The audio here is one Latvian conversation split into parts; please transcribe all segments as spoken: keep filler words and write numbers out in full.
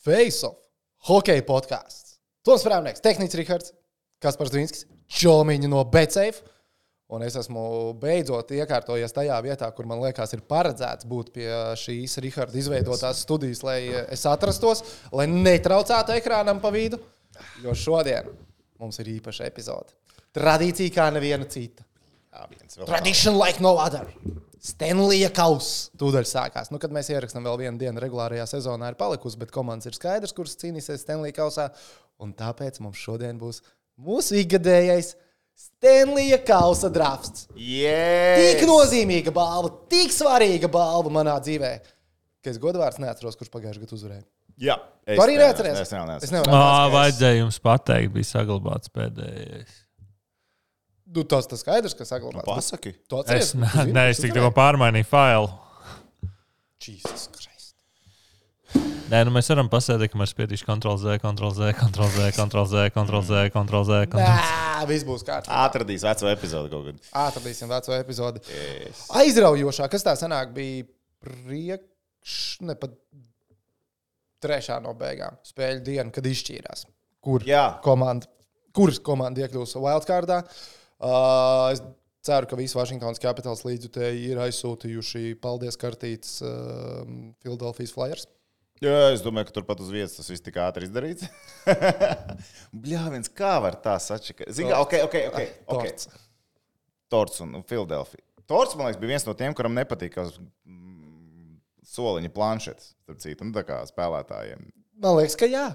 Face Off, hokeja podkāsts. Toms Frāmnieks, tehnicis Rihards, Kaspars Dvinskis, Čomiņa no BetSafe. Un es esmu beidzot iekārtojies tajā vietā, kur man liekas ir paredzēts būt pie šīs Riharda izveidotās studijas, lai es atrastos, lai netraucētu ekrānam pa vidu. Jo šodien mums ir īpaša epizode. Tradīcija kā neviena cita. Tradition like no other. Stanleya kauss. Tūdaļ sākās. Nu, kad mēs ierakstām vēl vienu dienu regulārajā sezonā ir palikusi, bet komandas ir skaidrs, kuras cīnīsies Stanleya kausā. Un tāpēc mums šodien būs mūsu ikgadējais Stanleya kausa drafts. Yes. Tik nozīmīga balva, tik svarīga balva manā dzīvē, ka es godvārds neatceros, kurš pagājušajā gadā uzvarēja. Jā. Tu arī neatceries? Es nevaru. Es nevaru atcerēties. Vajadzēja jums pateikt, bija saglabāts pēdējais. Nu, tas tas skaidrs, ka saglabāts. Nu, pasaki. Tu atceries? Es, nē, es tik tikko pārmainīju failu. Jesus Christ. Nē, nu mēs varam pasēdēt, ka mēs spiedīšu kontrol Z, kontrol Z, kontrol Z, kontrol Z, kontrol Z, kontrol Z, kontrol Z. Nē, viss būs kārtībā. Atradīs veco epizodu kaut kad. Atradīsim veco epizodi. Yes. Aizraujošā, kas tā sanāk, bija priekš, ne pat trešā no beigām spēļu diena, kad izšķīrās. Kur Jā. komanda, kuras komanda iekļūs wildcardā. Uh, es ceru, ka visi Washingtonas Capitals līdzjutēji ir aizsūtījuši paldies kartītes uh, Philadelphia Flyers. Jā, es domāju, ka turpat uz vietas tas viss tik ātri izdarīts. Bļāviens, kā var tā sačakāt? Zini, ok, ok, ok. okay. Torts. Torts un Philadelphia. Torts, man liekas, bija viens no tiem, kuram nepatīk mm, soliņa planšetes, starp citu, nu tā kā spēlētājiem. Man liekas, ka jā.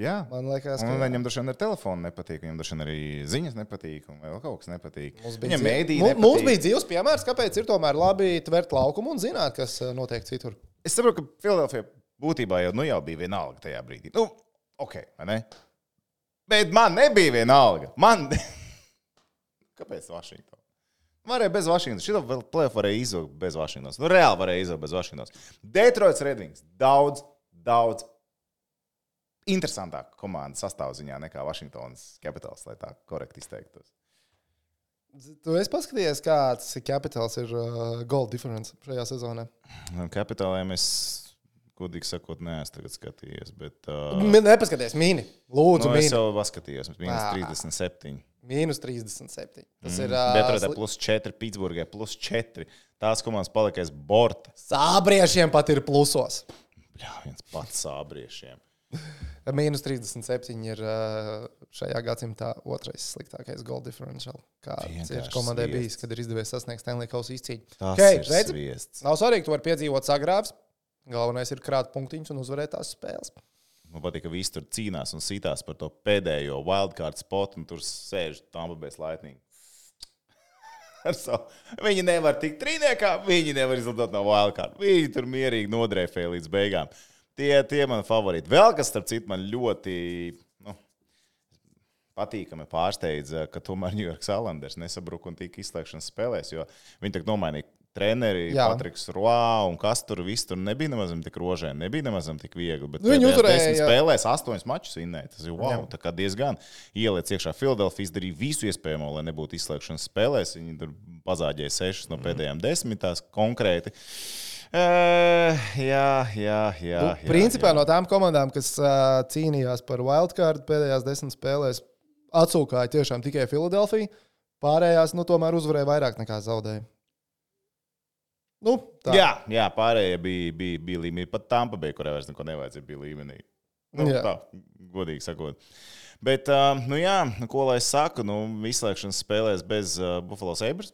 Jā, Man liekas, ka un jā. viņam droši vien ar telefonu nepatīk, viņam droši vien arī ziņas nepatīk, un vēl kaut kas nepatīk. Mums bija, Viņam dzīv... mēdī Mums, nepatīk. mums bija dzīves piemērs, kāpēc ir tomēr labi tvert laukumu un zināt, kas uh, notiek citur. Es saprotu, ka Philadelphia būtībā jau, nu, jau bija vienalga tajā brīdī. Nu, ok, vai ne? Bet man nebija vienalga. Man... Kāpēc Washington? Varēja bez Washingtonas. Šito vēl play-off varēja izvilkt bez Washingtonas. Nu, reāli varēja izvilkt bez Washingtonas. Detroits Red Wings. Daudz, daudz interesantāka komanda sastāvziņā nekā Washingtonas Capitals, lai tā korekti izteiktos. Tu esi paskatījies, kāds Capitals ir uh, goal difference šajā sezonā? Capitaliem es, godīgi sakot, neesmu tagad skatījies, bet... Uh, M- Nepaskaties, mīni. Lūdzu, nu, mīni. es jau paskatījos, mīnus Ā. trīsdesmit septiņi. Mīnus trīsdesmit septiņi. Tas Mm. ir... Uh, Detroitā sli- plus četri, Pitsburgai plus četri. Tās komandas palikais borta. Sābriešiem pat ir plusos. Bļā, viens pats sābriešiem. Mīnus trīsdesmit septiņi ir uh, šajā gadsimtā otrais sliktākais goal differential, kāds ir Vienkārši komandai sviests. bijis, kad ir izdevies sasniegt Stanley kausa izcīņu. Tas Okay, ir redzi? sviests. Nav svarīgi, tu vari piedzīvot sagrāvs. Galvenais ir krāt punktiņus un uzvarēt tās spēles. Man patīk, ka visi tur cīnās un sītās par to pēdējo wildcard spotu, un tur sēž Tampa Bay Lightning. Ar savu. Viņi nevar tikt trīniekā, viņi nevar izlidot no wildcard. Viņi tur mierīgi nodrēfēja līdz beigām. Tie, tie man favorīti. Vēl kas, starp citu, man ļoti nu, patīkami pārsteidza, ka tomēr New York Islanders nesabruka un tika izslēgšanas spēlēs, jo viņi tak nomainīja treneri, Jā. Patriks Roā un kas tur viss tur nebija nemazam tik rožē, nebija nemazam tik viegli, bet Nu, viņi pēdējās uzvarēja, desmit jā. spēlēs astoņus mačus vinnēja. Tas ir wow, Jā. tā kā diezgan ieliec iekšā. Philadelphia izdarīja visu iespējamo, lai nebūtu izslēgšanas spēlēs. Viņi tur pazāģēja sešas no pēdējām desmitās konkrēti. Uh, jā, jā, jā. Nu, jā principā jā. no tām komandām, kas uh, cīnījās par wildcard pēdējās desmit spēlēs, atsūkāja tiešām tikai Philadelphia. Pārējās, nu, tomēr uzvarēja vairāk nekā zaudēja. Nu, tā. Jā, jā, pārējie bija, bija, bija līmenī. Pat Tampa Bay, kurai vairs neko nevajadzēja, bija līmenī. Nu, Jā. tā, godīgi sakot. Bet, uh, nu jā, ko lai es saku, nu, izslēgšanas spēlēs bez uh, Buffalo Sabres.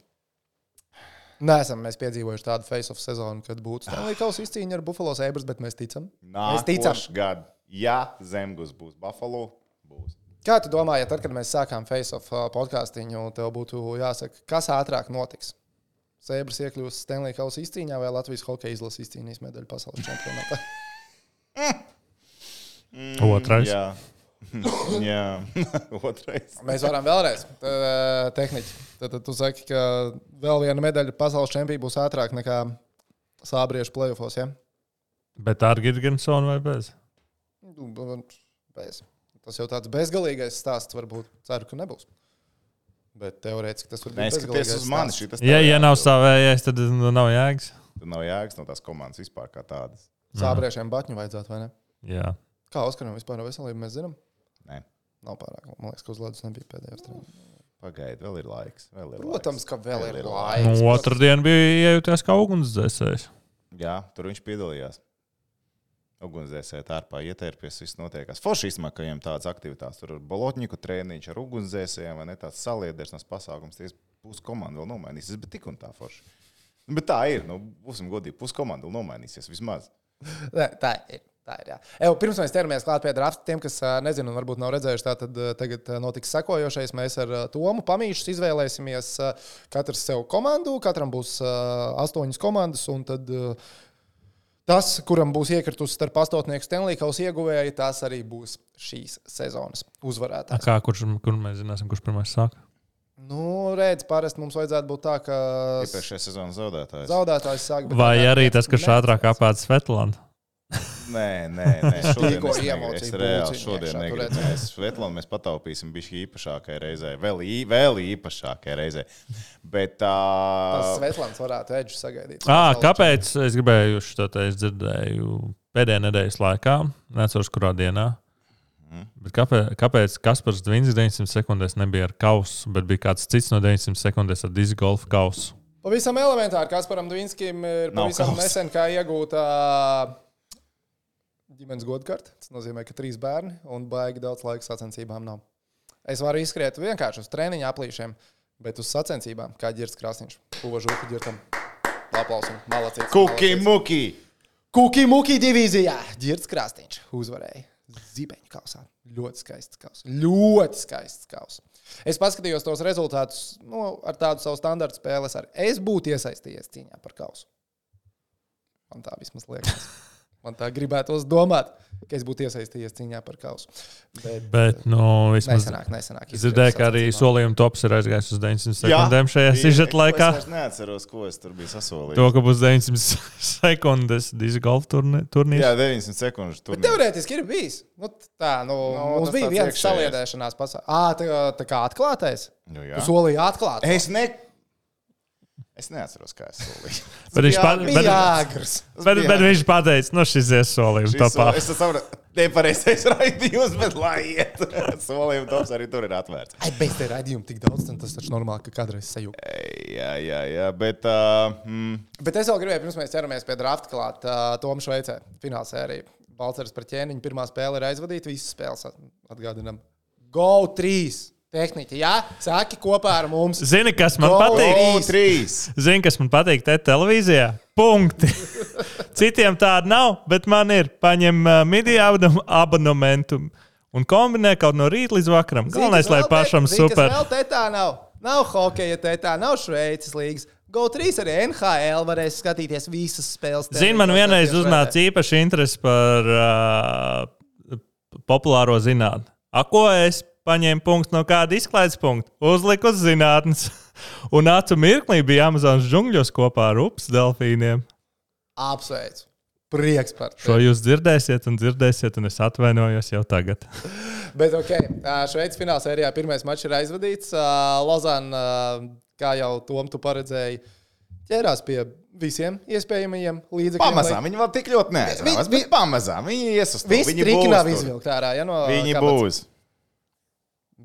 Neesam mēs piedzīvojuši tādu face-off sezonu, kad būtu Stanley kausa izcīņa ar Buffalo Sabres, bet mēs ticam. Mēs ticam. Nākošais gads, ja Zemgus būs Buffalo, būs. Kā tu domā, ja tad, kad mēs sākām face-off uh, podcastiņu, tev būtu jāsaka, kas ātrāk notiks? Sabres iekļūs Stanley kausa izcīņā vai Latvijas hokeja izlases izcīnīs medaļu pasaules čempionātā? Otrais. Jā, jā. Otrais. Mēs varam vēlreiz. Tad, uh, tehniķi. Tad, tad tu saki, ka vēl viena medaļa pasaules čempionā būs ātrāk nekā sābriešu playoffos, ja? Bet ar Girgensonu vai bez? Nu, bez. Tas jau tāds bezgalīgais stāsts varbūt. Ceru, ka nebūs. Bet teorētiski tas var būt Neskaties bezgalīgais uz mani. stāsts. šitas Ja, tev ja nav jāatrod. savējais, tad nu, nav jēgas. Tad nav jēgas no tās komandas vispār kā tādas. Sābriešiem batņu vajadzētu, vai ne? Jā. Kā Oskaram vispār veselību mēs zinām? Nē. Nav pārāk. Man liekas, ka uz ledus nebija pēdējos treniņos. Pagaid, vēl ir laiks. Vēl ir Protams, laiks. ka vēl, vēl ir Nu, laiks. otrdien bija iejūties kā ugunsdzēsējs. Jā, tur viņš piedalījās. Ugunsdzēsēji tārpā ietērpies, viss notiekās. Forši īstenībā, ka viņiem tādas aktivitātes. Tur ar bolotņiku trēniņš, ar ugunsdzēsējiem, vai ne tāds saliedersnes pasākums. Ties pus komanda vēl nomainīsies, bet tik un tā forši. Bet tā ir, nu, būsim godīgi, pus komanda vēl nomainīsies vismaz. Nē, tā ir. Tā ir, jā. Evo, pirms mēs ķeramies klāt pie drafta, tiem, kas nezinu un varbūt nav redzējuši, tā tad tagad notiks sekojošais. Mēs ar Tomu Pamīšus izvēlēsimies katrs sev komandu, katram būs astoņas komandas, un tad tas, kuram būs iekritusi starp astotnieku Stanley Kausa ieguvēji, tas arī būs šīs sezonas uzvarētājs. Kā, kurš, kur mēs zināsim, kurš pirmais sāk? Nu, redz, parasti mums vajadzētu būt tā, ka Iepriekšējā sezonas zaudētājs. Zaudētājs sāk. Vai arī tas, kurš ātrāk apāda Svetlānu? Nē, nē, nē. Šodien Tikko es, ne, emociju es reāli pulciņu šodien iekšā, negribu. tur Mēs Svetlānu mēs pataupīsim bišķi īpašākai reizē. Vēl, ī, vēl īpašākai reizē. Bet tā... Tas Svetlāns varētu Edžu sagaidīt. À, kāpēc? Es gribēju šo te es dzirdēju pēdējā nedēļas laikā. Neceros, kurā dienā. Mm. Bet kāpēc, kāpēc Kaspars Dvīns deviņsimt sekundēs nebija ar kausu, bet bija kāds cits no deviņsimt sekundēs ar disc golf kausu? Pavisam elementāri. Kasparam Dvīnskim ir Nav pavisam kausa. nesen kā iegūta ģimenes godkarta. Tas nozīmē, ka trīs bērni un baigi daudz laika sacensībām nav. Es varu izskriet vienkārši uz treniņa aplīšiem, bet uz sacensībām, kā Ģirds Krasniņš. Puva žūka Ģirtam. Aplausim. Malacīts. Kuki muki! Kuki muki divīzijā. Ģirds Krasniņš uzvarēja. Zibeņu kausā. Ļoti skaists kaus. Ļoti skaists kaus. Es paskatījos tos rezultātus, nu, ar tādu savu standartu spēles. Ar. Es būtu iesaistījies cīņā par kausu. Man tā vismaz liekas. Man tā gribētos domāt, ka es būtu iesaistījies cīņā par kausu. Bet, Bet nu, vismaz nesenāk, nesenāk. es dzirdēju, ka arī solījuma tops ir aizgājis uz deviņsimt sekundēm šajā sižeta laikā. Es neatceros, ko es tur biju sasolījis. To, ka būs deviņsimt sekundes disc golf turnīrs. Jā, deviņdesmit sekundes tur. Teorētiski ir bijis. Nu, tā, nu, Nu, mums tas bija tāds viens iekšējais. saliedēšanās pasākums. Ā, tā, tā kā atklātais? Nu, Tu solīji atklāt. es ne... Es neatceros, kā es solīju. Bet viņš pat- Bija bet- jāgrs. Bet, bet viņš pateica, nu šis ies solījums Šis topā. sol- Es saprotu, nepareizais raidījums, bet lai iet. Solījuma tops arī tur ir atvērts. Ai, bez te raidījumu tik daudz, tad tas taču normāli, ka kādreiz sajūta. Jā, jā, jā, bet... Uh, mm, Bet es vēl gribēju, pirms mēs ķeramies pie drafta klāt, uh, Tomu Šveicē, fināla sērija. Balceris par ķēniņu, pirmā spēle ir aizvadīta, visas spēles atgādinām. Go trīs! Tehniķi, jā, sāki kopā ar mums. Zini, kas man Go! patīk? O, trīs! Zini, kas man patīk te televīzijā? Punkti. Citiem tāda nav, bet man ir. Paņem uh, midija abonementu un kombinē kaut no rīta līdz vakaram. Galvenais, lai pašam super. Vēl te tā nav. Nav hokeja, te tā nav Šveices līgas. Go trīs arī N H L varēs skatīties visas spēles. Zini, man vienreiz uznāca īpaši interesi par uh, populāro zinātni. A, ko es paņēmu punktu no kāda izklaides punkta? Uzliku uz zinātnes. Un acu mirklī bija Amazonas džungļos kopā ar upes delfīniem. Apsveicu. Prieks par to. Šo jūs dzirdēsiet un dzirdēsiet, un es atvainojos jau tagad. Bet, ok, Šveices fināla sērijā pirmais mačs ir aizvadīts. Lozana, kā jau Tom, tu paredzēji, ķērās pie visiem iespējamajiem līdzekļiem. Pamazām, viņi vēl tik ļoti neatcerās, bet pamazām, viņi iesastāv. Viss Viņi triki būs nav tur. izvilkt ārā, ja no Viņi kabatas. būs.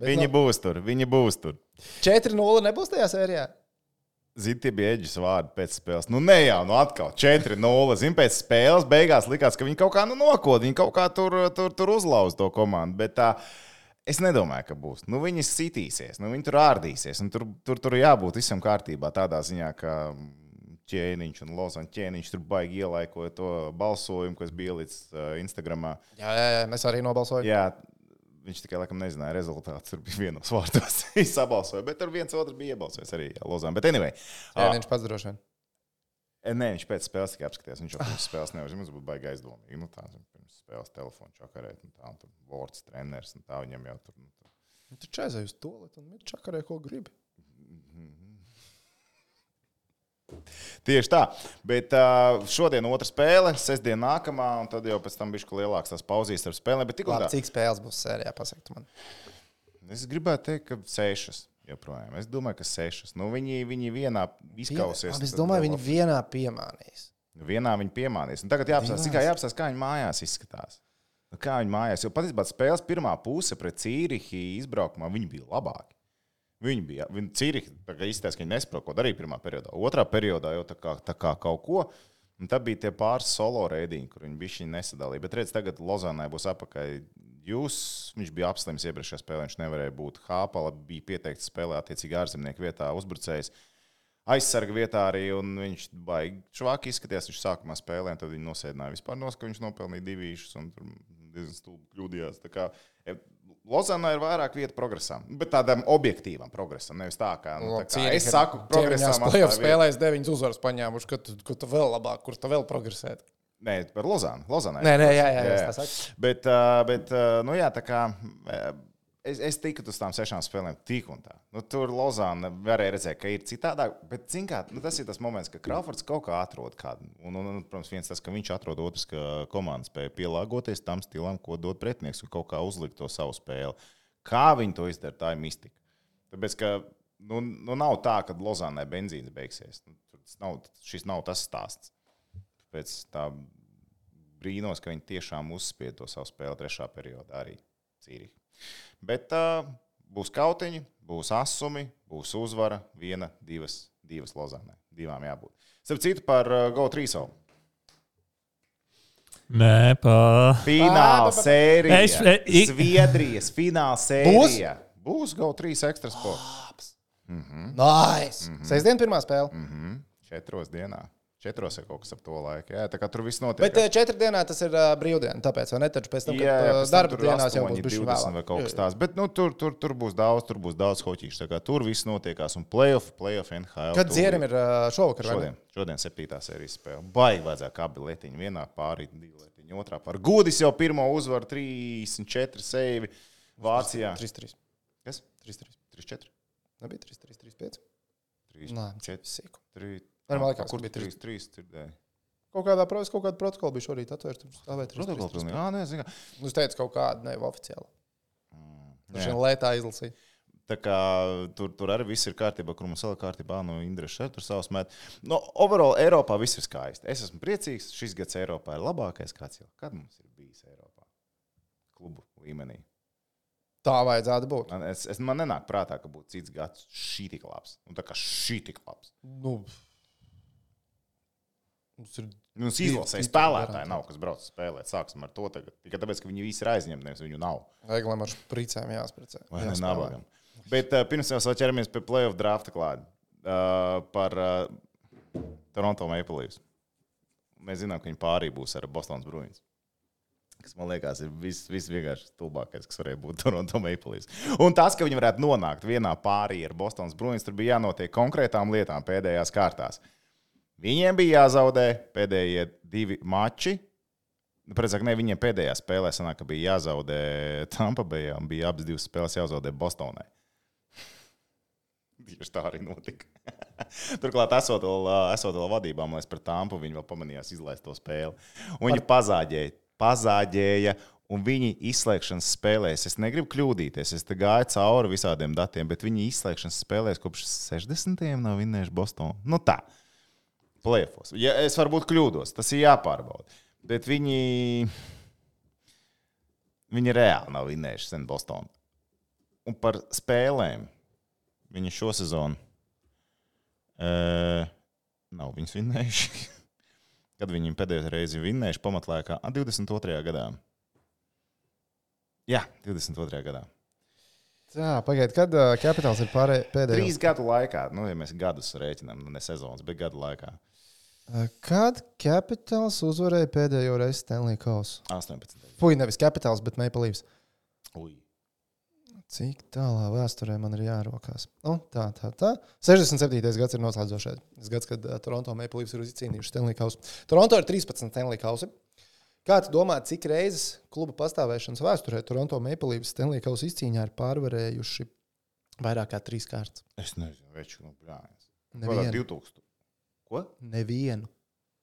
Bet Viņi no- būs tur, viņi būs tur. četri nulle nebūs tajā sērijā? Zini, tie bija Edžas vārdi pēc spēles. Nu, ne jau, nu atkal četri nulle. Zini, pēc spēles beigās likās, ka viņi kaut kā nu, nokod, viņi kaut kā tur, tur, tur uzlauz to komandu. Bet tā, es nedomāju, ka būs. Nu, viņi sitīsies, nu, viņi tur ārdīsies. Tur, tur, tur jābūt visam kārtībā tādā ziņā, ka ķēniņš un Lozana ķēniņš tur baigi ielaikoja to balsojumu, kas bija līdz uh, Instagramā. Jā, jā, jā, mēs arī nobalsojam. Jā, viņš tikai laikam nezināja rezultātu. Tur bija vienos vārtos sabalsoja, bet tur viens otrs bija iebalsojis arī jā, Lozana. Bet anyway. Jā, viņš pats droši vien. Nē, viņš pēc spēles tikai apskatījās. Viņš jau pirms spēles nevar. Mums būtu baigi aizdomīgi. Nu, tā, pirms spēles telefonu čakarēt, un tā, un tur Vorts treneris, un tā viņam jau tur. Nu, tur. Tu čaizēji uz toaletu un viņš čakarē, ko gribi. Tieši tā. Bet uh, šodien otra spēle, sestdien nākamā, un tad jau pēc tam bišķi lielāks tās pauzīs ar spēlēm. Bet tik un Labi, tā. cik spēles būs sērijā, pasaktu man. Es gribētu teikt, ka sešas joprojām. Es domāju, ka sešas. Nu, viņi, viņi vienā izkausies. Labi, es domāju, viņi vienā piemānīs. Vienā viņi piemānīs. Un tagad jāapstāsta, cik kā jāapstāsta, kā viņi mājās izskatās. Nu, kā viņi mājās? Jo patiesībā spēles pirmā puse pret Cīrihi izbraukumā viņi bija labāki. Viņi bija, viņi Cīrihi izties, ka viņi nespēja ko darīt pirmā periodā. Otrā periodā jau tā kā, tā kā kaut ko. Un tad bija tie pāris solo reidiņi, kur viņi bišķi nesadalīja. Bet redz, tagad Lozānai būs apakai. Jūs, viņš bija apslims iepriekšējā spēlē, viņš nevarēja būt. Hāpala bija pieteikts spēlē attiecīgi ārzemnieku vietā, uzbrucējs. Aizsarga vietā arī, un viņš baigi švāki izskatījās, viņš sākumā spēlē, un tad viņi nosēdināja vispār nos, ka viņš nopelnīja divīšus, un tur diezgan stulbi kļūdījās. Tā kā Lozānā ir vairāk vieta progresam, bet tādam objektīvam progresam, nevis tā kā, nu, tā kā es saku progresam. Play-off spēlēs deviņas uzvaras paņēmuši, ka tu, ka tu vēl labāk, kur tu vēl progresēt. Nē, par Lozānu. Lozānai. Nē, nē, jā, jā, jā, jā. Bet, bet, nu jā, tā kā es, es tiku uz tām sešām spēlēm tik un tā. Nu, tur Lozāna varēja redzēt, ka ir citādāk, bet, zin kā, nu, tas ir tas moments, ka Crawfords kaut kā atrod kādu. Un, un, un, protams, viens tas, ka viņš atrod otrs, ka komanda spēja pielāgoties tam stilam, ko dod pretinieks, un kaut kā uzlikt to savu spēli. Kā viņi to izdara, tā ir mistika. Tāpēc, ka nu, nu nav tā, ka Lozānai benzīns beigsies. Nu, nav, šis nav tas stāsts. Pēc tā brīnos, ka viņi tiešām uzspied to savu spēli trešā periodā arī Cīrihi. Bet uh, būs kautiņi, būs asumi, būs uzvara, viena, divas, divas Lozānai. Divām jābūt. Starp citu par uh, Go trīs. Nē, pa... Fināla sērija. Es, e, Zviedrijas fināla sērija. Būs? Būs Go trīs Extra Sport. Mm-hmm. Nice! Mm-hmm. Sestdien pirmā spēle. Mm-hmm. Četros dienā. Četros ir kaut kas ap to laiku. Jā, tā kā tur viss notiek. Bet četri dienā tas ir uh, brīvdiena, tāpēc, vai ne? Taču pēc tam, kad jā, jā, pēc darba tam dienās jau būs bišķi vēlāk. Vai kaut kas tās. Bet nu, tur, tur, tur būs daudz, tur būs daudz hoķīšu. Tā kā tur viss notiekās. Un play-off, play-off N H L. Kad Dzierim ir uh, šovakar, vai ne? Šodien, šodien septītā sērijas spēle. Baigi vajadzētu abi letiņi. Vienā pārī, divi letiņi, otrā pārī. Gudis jau pirmo uzvaru trīsdesmit četri seivi Vācijā. trīs trīs. Kas? trīs trīs. trīs četri. Nebija trīs trīs, trīs pieci? trīs četri. trīs Kur bija trīs trīs? Kaut kādā protams, kaut kāda protokola bija šorīt atvērta. Protokola pilnīgi. Jā, nē, zinu. Nu, es teicu kaut kādu, ne, oficiāli. Mm, Viņš vien lētā izlasīja. Tā kā tur, tur arī viss ir kārtībā, kur mums vēl ir kārtībā, nu, Indreša tur savus met. No, overall, Eiropā viss ir skaisti. Es esmu priecīgs, šis gads Eiropā ir labākais kāds jau. Kad mums ir bijis Eiropā? Klubu līmenī. Tā vajadzētu būt. Man, es, es, man nenāk prātā, ka būtu cits gads šī tik labs. Un tā kā šī tik labs. Nu... Mums izlasēja spēlētāji nav, kas brauc spēlēt. Sāksim ar to tagad. Tikai tāpēc, ka viņi visi ir aizņemti, nevis viņu nav. Vajaglam ar špricēm jāspricē. Vai ne nabagam. Bet uh, pirms mēs vēl ķeramies pie play-off drafta klādi. Uh, par uh, Toronto Maple Leafs. Mēs zinām, ka viņi pārī būs ar Bostonas Bruins. Kas, man liekas, ir viss vis vienkārši stulbākais, kas varēja būt Toronto Maple Leafs. Un tas, ka viņi varētu nonākt vienā pārī ar Bostonas Bruins, tur bija jānotiek konkrētām lietām pēdējās kārtās. Viņiem bija jāzaudē pēdējie divi mači. Precīzāk, ne, viņiem pēdējā spēlē sanāk, ka bija jāzaudē Tampa Bayā un bija abas divas spēles jāzaudē Bostonai. Tieši tā arī notika. Turklāt, esot vēl, esot vēl vadībā, man liekas, par Tampu, viņi vēl pamanījās izlaist to spēli. Un viņi pazāģēja, pazāģēja, un viņi izslēgšanas spēlēs, es negribu kļūdīties, es te gāju cauri visādiem datiem, bet viņi izslēgšanas spēlēs kopš sešdesmitiem nav vinnējuši Bostonu. Nu tā. Play-offos. Ja, es varbūt kļūdos, tas ir jāpārbauda. Bet viņi, viņi reāli nav vinnējuši sen Bostonu. Un par spēlēm viņi šo sezonu e, nav viņus vinnējuši. Kad viņi pēdējo reizi vinnējuši pamatlēkā divdesmit otrajā gadā. Jā, divdesmit otrajā gadā. Jā, pagaid, kad uh, Capitals ir pārē, pēdējos? Trīs gadu laikā. Nu, ja mēs gadus rēķinām, ne sezonas, bet gadu laikā. Kad Capitals uzvarēja pēdējo reizi Stanley Kausu? astoņpadsmit. Fui, nevis Capitals, bet Maple Leafs. Ui. Cik tālā vēsturē man ir jārokās? Nu, tā, tā, tā. sešdesmit septītais gads ir noslēdzošais. Tas gads, kad uh, Toronto Maple Leafs ir izcīnījuši Stanley Kausu. Toronto ir trīspadsmit Stanley Kausi. Kā tu domā, cik reizes kluba pastāvēšanas vēsturē Toronto Maple Leafs Stanley Kausu izcīņā ir pārvarējuši vairāk kā trīs kārtas? Es nezinu, veču, nu, brāļas. Nevienu. divtūkstoši. Ko? Nevienu.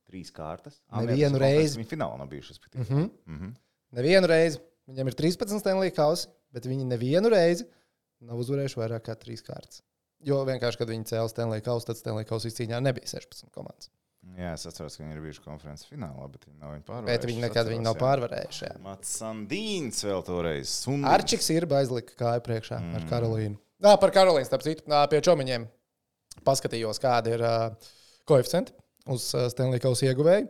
Trīs kārtas? Nevienu reizi. Viņi finālā nav bijuši. Mm -hmm. Mm -hmm. Nevienu reizi. Viņam ir trīspadsmit Stanley Kausi, bet viņi nevienu reizi nav uzvarējuši vairāk kā trīs kārtas. Jo vienkārši, kad viņi cēla Stanley Kausu, tad Stanley Kausu izcīņā nebija sešpadsmit komandas. Jā, es atceros, ka viņi ir bijuši konferences finālā, bet viņi nav viņu pārvarējuši. Bet viņi nekad viņu nav pārvarējuši. Jā. Mats Sandīns vēl toreiz. Sundins. Arčiks ir aizlika kāju priekšā mm. ar Karolīnu. Nā, par Karolīnu, starp citu, nā, pie čomiņiem paskatījos, kāda ir uh, koeficienti uz uh, Stanley Kausa ieguvēju.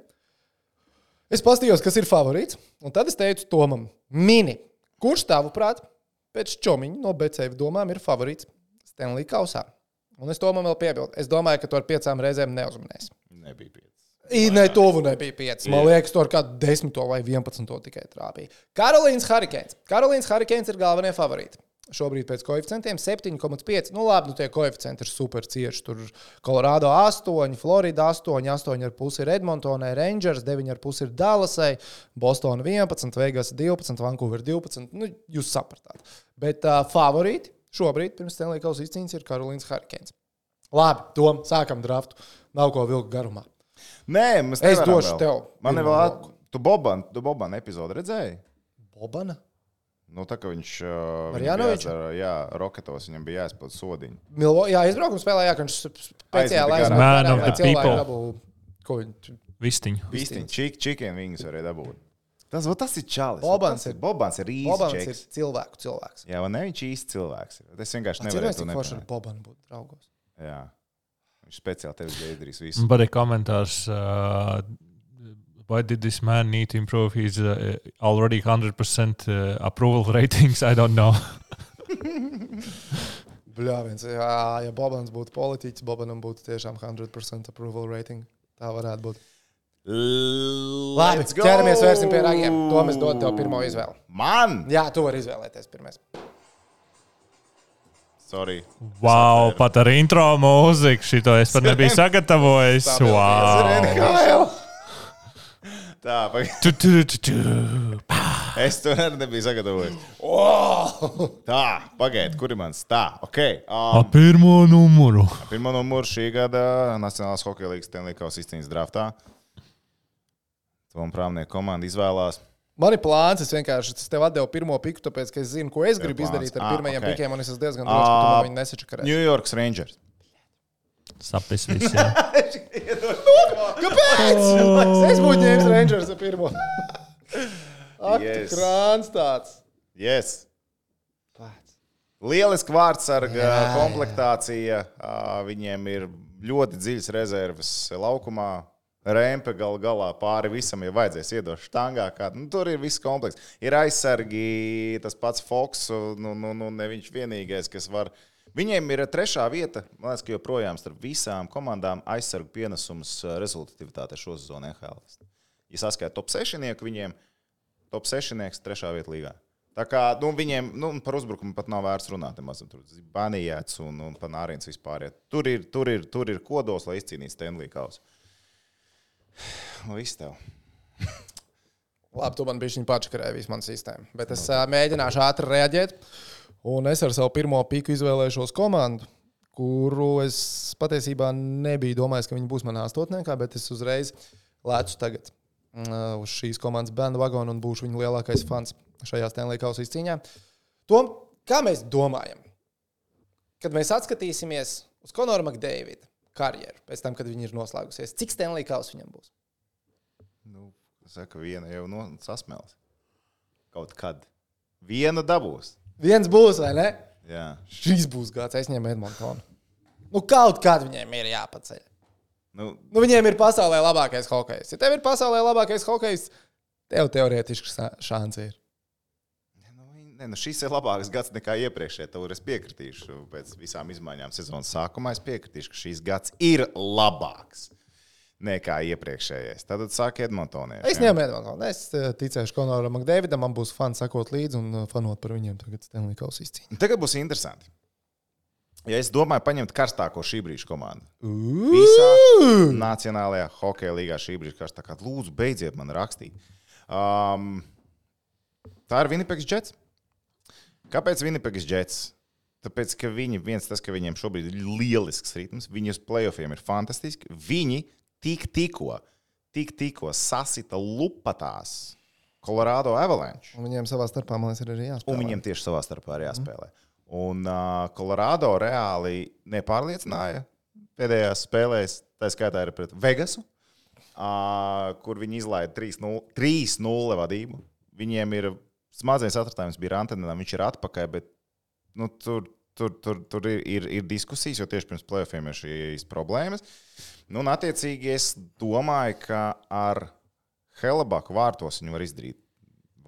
Es paskatījos, kas ir favorīts, un tad es teicu Tomam, mini, kurš tavuprāt pēc čomiņa no Betsafe domām ir favorīts Stanley Kausā? Un es Tomam vēl piebildu. Es domāju, ka to ar piecām reizēm neuzmanēs. Nebija pieci. I, ne, tuvu nebija pieci. Man liekas, to ar kādu desmito vai vienpadsmito tikai trāpīja. Karolīnas Hurricanes. Karolīnas Hurricanes ir galvenie favorīti. Šobrīd pēc koeficientiem septiņi komats pieci. Nu labi, nu tie koeficienti ir super cieši. Tur Colorado astoņi, Florida astoņi, astoņi ar pusi ir Edmontonai, Rangers, deviņi ar pusi ir Dallasai, Boston vienpadsmit, Vegas divpadsmit, Vancouver divpadsmit. Nu, jūs sapratāt. Bet uh, favorīti šobrīd pirms Stanley Kausa izcīņas ir Karolīnas Hurricanes. Labi, Tom, sākam draftu. Nav ko vilkt garumā. Nē, mēs es došu vēl. tev. Man ir vēl, tu Boban, tu Boban epizodu redzēji? Bobana? Nu, tā kā viņš, viņš bija jācer, jā, Roketos, viņam bija jāizpild sodiņu. Milvo, jā, izbraukums spēlē, jā, ka viņš speciāli aizbraukt. Man of the people. Ko viņš? Vistiņu. Vistiņu, čik, chicken wings varēja dabūt. Tas, tas ir čalis. Bobans ir, Bobans ir īsti Bobans čeks. ir cilvēku cilvēks. Jā, man ne, viņš īsti cilvēks ir. Es vienkārši nevarēju to nepārēt. Cik forši ar Bobanu būt draugos. Jā. Viņš speciāli tevis izdarīs visu. Man patīk komentārs, uh, why did this man need to improve his uh, already one hundred percent uh, approval ratings? I don't know. Bļā, viens, jā, ja Bobans būtu politiķis, Bobanam būtu tiešām one hundred percent approval rating. Tā varētu būt. Labi, ķeramies vērsim pie ragiem. To mēs dod tev pirmo izvēli. Man? Jā, tu vari izvēlēties pirmais. Sorry. Wow, pat ar intro mūziku šito es pat nebiju sagatavojis. Wow. Tā, tu, tu, tu, tu. Es to nebiju sagatavojis. Wow. Tā, pagaid, kur ir mans? Tā, ok. Um, A pirmo numuru. Pirmo numuru šī gada Nacionālās hokeja līgas Stanley Kausa izcīņas draftā. Tom Prāvnieku komanda izvēlās. Man ir plāns, es vienkārši es tev atdevu pirmo piku, tāpēc, ka es zinu, ko es gribu izdarīt ar pirmajiem ah, okay. pikiem, un es esmu diezgan drošs, ka tu man viņu nesačakarēsi. New York Rangers. Sapis viss, jā. Kāpēc? Oh. Es būtu ņēmis Rangers ar pirmo. Ak, yes. Krāns tāds. Yes. Lieliski vārdsarga komplektācija. Viņiem ir ļoti dziļas rezerves laukumā. Rempe gal galā pāri visam, ja vajadzēs iedot štangā. Kā, nu, tur ir viss komplekss. Ir aizsargi, tas pats Foks, nu, nu, nu ne viņš vienīgais, kas var. Viņiem ir trešā vieta, man liekas, ka joprojām starp visām komandām aizsargu pienesums rezultatīvitāte šo sezonu N H L. Ja saskaita top sešnieku viņiem, top sešnieks trešā vieta līgā. Tā kā, nu, viņiem, nu, par uzbrukumu pat nav vērts runāt, mazam tur Banijāts un, un Panārins vispār. Tur ir, tur ir, tur ir kodos, lai izcīnītu Stanley Kausu. Nu, viss tev. Labi, tu man bišķiņ pačakarēji visu manu sistēmu. Bet es uh, mēģināšu ātri reaģēt. Un es ar savu pirmo piku izvēlēšos komandu, kuru es patiesībā nebiju domājis, ka viņi būs manā astotniekā, bet es uzreiz lēcu tagad uh, uz šīs komandas bandwagonu un būšu viņu lielākais fans šajā Stanley Kausa izcīņā. Tom, kā mēs domājam, kad mēs atskatīsimies uz Conoru McDavidu karjeru, pēc tam, kad viņi ir noslēgusies. Cik Stanley Kausa viņam būs? Nu, saka, viena jau no sasmēlas. Kaut kad. Viena dabūs. Viens būs, vai ne? Jā. Šis būs gads, es ņemu Edmontonu. Nu, kaut kad viņiem ir jāpaceļ. Nu, nu viņiem ir pasaulē labākais hokejs. Ja tev ir pasaulē labākais hokejs, tev teorētiski šansi ir. Ne, nu šis ir labāks gads nekā iepriekšējā. Tev es piekritīšu pēc visām izmaiņām sezonas sākumā. Es piekritīšu, ka šīs gads ir labāks nekā iepriekšējais. Tad sāk Edmontonieši. Es ņemu Edmontonu. Es ticēšu Conoram McDavidam. Man būs fani sakot līdzi un fanot par viņiem tagad Stanley Kausa izcīņu. Tagad būs interesanti. Ja es domāju paņemt karstāko šī brīža komandu. Visā Nacionālajā hokeja līgā šī brīža karstākā. Lūdzu, beidziet man rakstīt. Um, tā ir Winnipeg Jets. Kāpēc Winnipeg Jets? Tāpēc, ka viņi, viens tas, ka viņiem šobrīd ir lielisks ritms, viņi uz playoffiem ir fantastiski, viņi tik tikko, tik tikko sasita lupatās Colorado Avalanche. Un viņiem savā starpā, man liekas, ir arī jāspēlē. Un viņiem tieši savā starpā ir jāspēlē. Mm. Un uh, Colorado reāli nepārliecināja pēdējās spēlēs, tā skaitā ir pret Vegasu. uh, kur viņi izlaida trīs nulle vadību. Viņiem ir smadzenes atratājums bija Rantanenam, viņš ir atpakaļ, bet nu, tur, tur, tur, tur ir, ir, ir diskusijas, jo tieši pirms play-offiem ir šīs problēmas. Nu, un attiecīgi es domāju, ka ar Helabaku vārtos viņi var izdarīt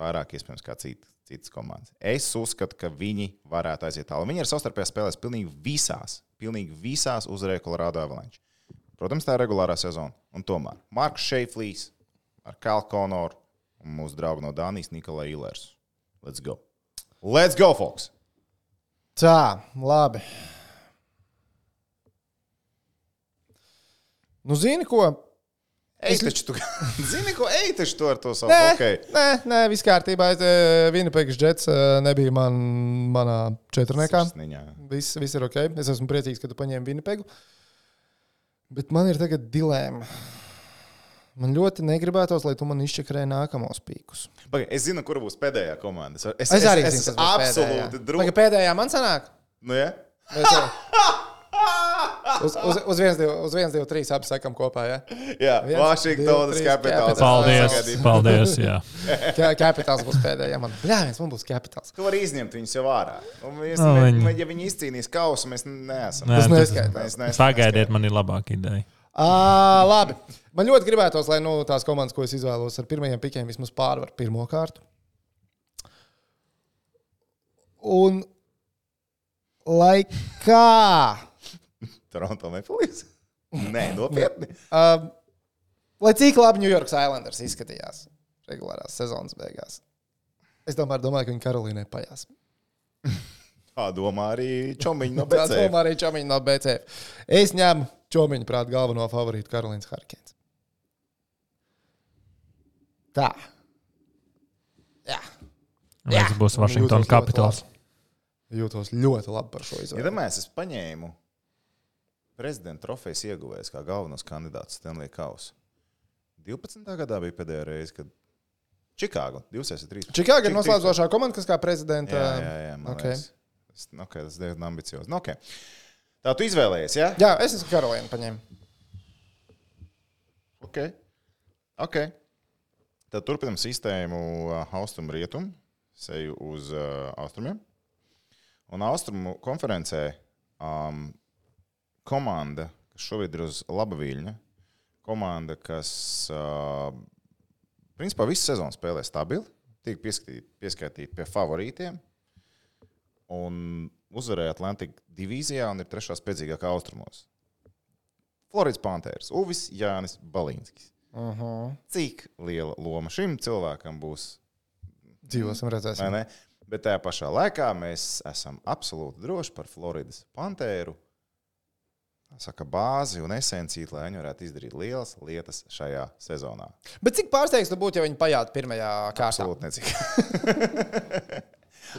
vairāk iespējams kā citi. Citas komandas. Es uzskatu, ka viņi varētu aiziet tālu. Viņi ir savstarpējā spēlēs pilnīgi visās, pilnīgi visās uzvarēja Colorado Avalanche. Protams, tā ir regulārā sezona. Un tomēr Marks Šeiflīs ar Kyle Connoru un mūsu draugu no Dānijas Nikolai Ilers. Let's go. Let's go, folks! Tā, labi. Nu, zini ko? Ej, taču tu, zini, ko ej, taču tu ar to savu Nē, hokeju. nē, nē, viss kārtībā. Winnipegas Jets nebija man, manā četrniekā. Sirsniņā. Viss, viss ir ok. Es esmu priecīgs, ka tu paņēmi Winnipegu. Bet man ir tagad dilēma. Man ļoti negribētos, lai tu man izčakarē nākamos pīkus. Pagai, es zinu, kura būs pēdējā komanda. Es, es, Es arī es, zinu, es kas būs absolūti pēdējā. Pagai, pēdējā man sanāk? Nu, ja? Mēs, uz, uz, uz viens, divi, uz viens, divi, trīs abi sakam kopā, ja? Jā, Viens, Washingtonas divi, trīs, Capitals. Paldies, Sagaidīt. paldies, jā. Ka- Capitals būs pēdējā. Man, bļā, viens man būs Capitals. Tu vari izņemt viņus jau ārā. Un mēs, Nu, mē, viņi- ja viņi izcīnīs kausu, mēs neesam. Nē, Tas tas- neskaitās. Mēs neesam. Pagaidiet, man ir labāka ideja. À, labi. Man ļoti gribētos, lai nu, tās komandas, ko es izvēlos ar pirmajiem pikiem, vismaz pārvar pirmo kārtu. Un lai kā... Toronto Maple Leafs? Nē, nopietni. Uh, lai cik labi New York Islanders izskatījās regulārās sezonas beigās. Es tomēr domāju, ka viņi Karolīnai pajās. Tā domā arī Čomiņa no Tā B C. domā arī Čomiņa no B C. Es ņemu Čomiņa prāt galveno favorītu Karolīnas Hurricanes. Tā. Jā. Jā. Tas būs Washington Jūtos ļoti Capitals. labi. Jūtos ļoti labi par šo izvēli. Iedomājies, es paņēmu prezidenta trofejas ieguvējs kā galvenos kandidātus Stanley Kausu. divpadsmitā gadā bija pēdējā reize, kad Čikāga, divdesmit trīs. Čikāga ir noslēdzošā komanda, kas kā prezidenta. Jā, jā, jā, man Okay. liekas. Es- Okay, tas ir diezgan ambiciozi. Nu, okay. Tā tu izvēlējies, jā? Jā, es esmu Karolīna paņēmu. Ok. Ok. Tad turpinam sistēmu uh, austrumu rietumu, seju uz uh, austrumiem. Un austrumu konferencē um, komanda, kas šobrīd ir uz laba viļņa, komanda, kas uh, principā visu sezonu spēlē stabili, tiek pieskatīt, pieskaitīti pie favorītiem un uzvarēja Atlantika divīzijā un ir trešā spēcīgākā austrumos. Floridas Panthers, Uvis Jānis Balīnskis. Uh -huh. Cik liela loma šim cilvēkam būs? Dzīvosim, Vai redzēsim. ne? Bet tajā pašā laikā mēs esam absolūti droši par Floridas Pantēru. Saka, bāzi un esenciju, lai viņi varētu izdarīt lielas lietas šajā sezonā. Bet cik pārsteigts tu būtu, ja viņi pajātu pirmajā kārtā? Absolūti necik.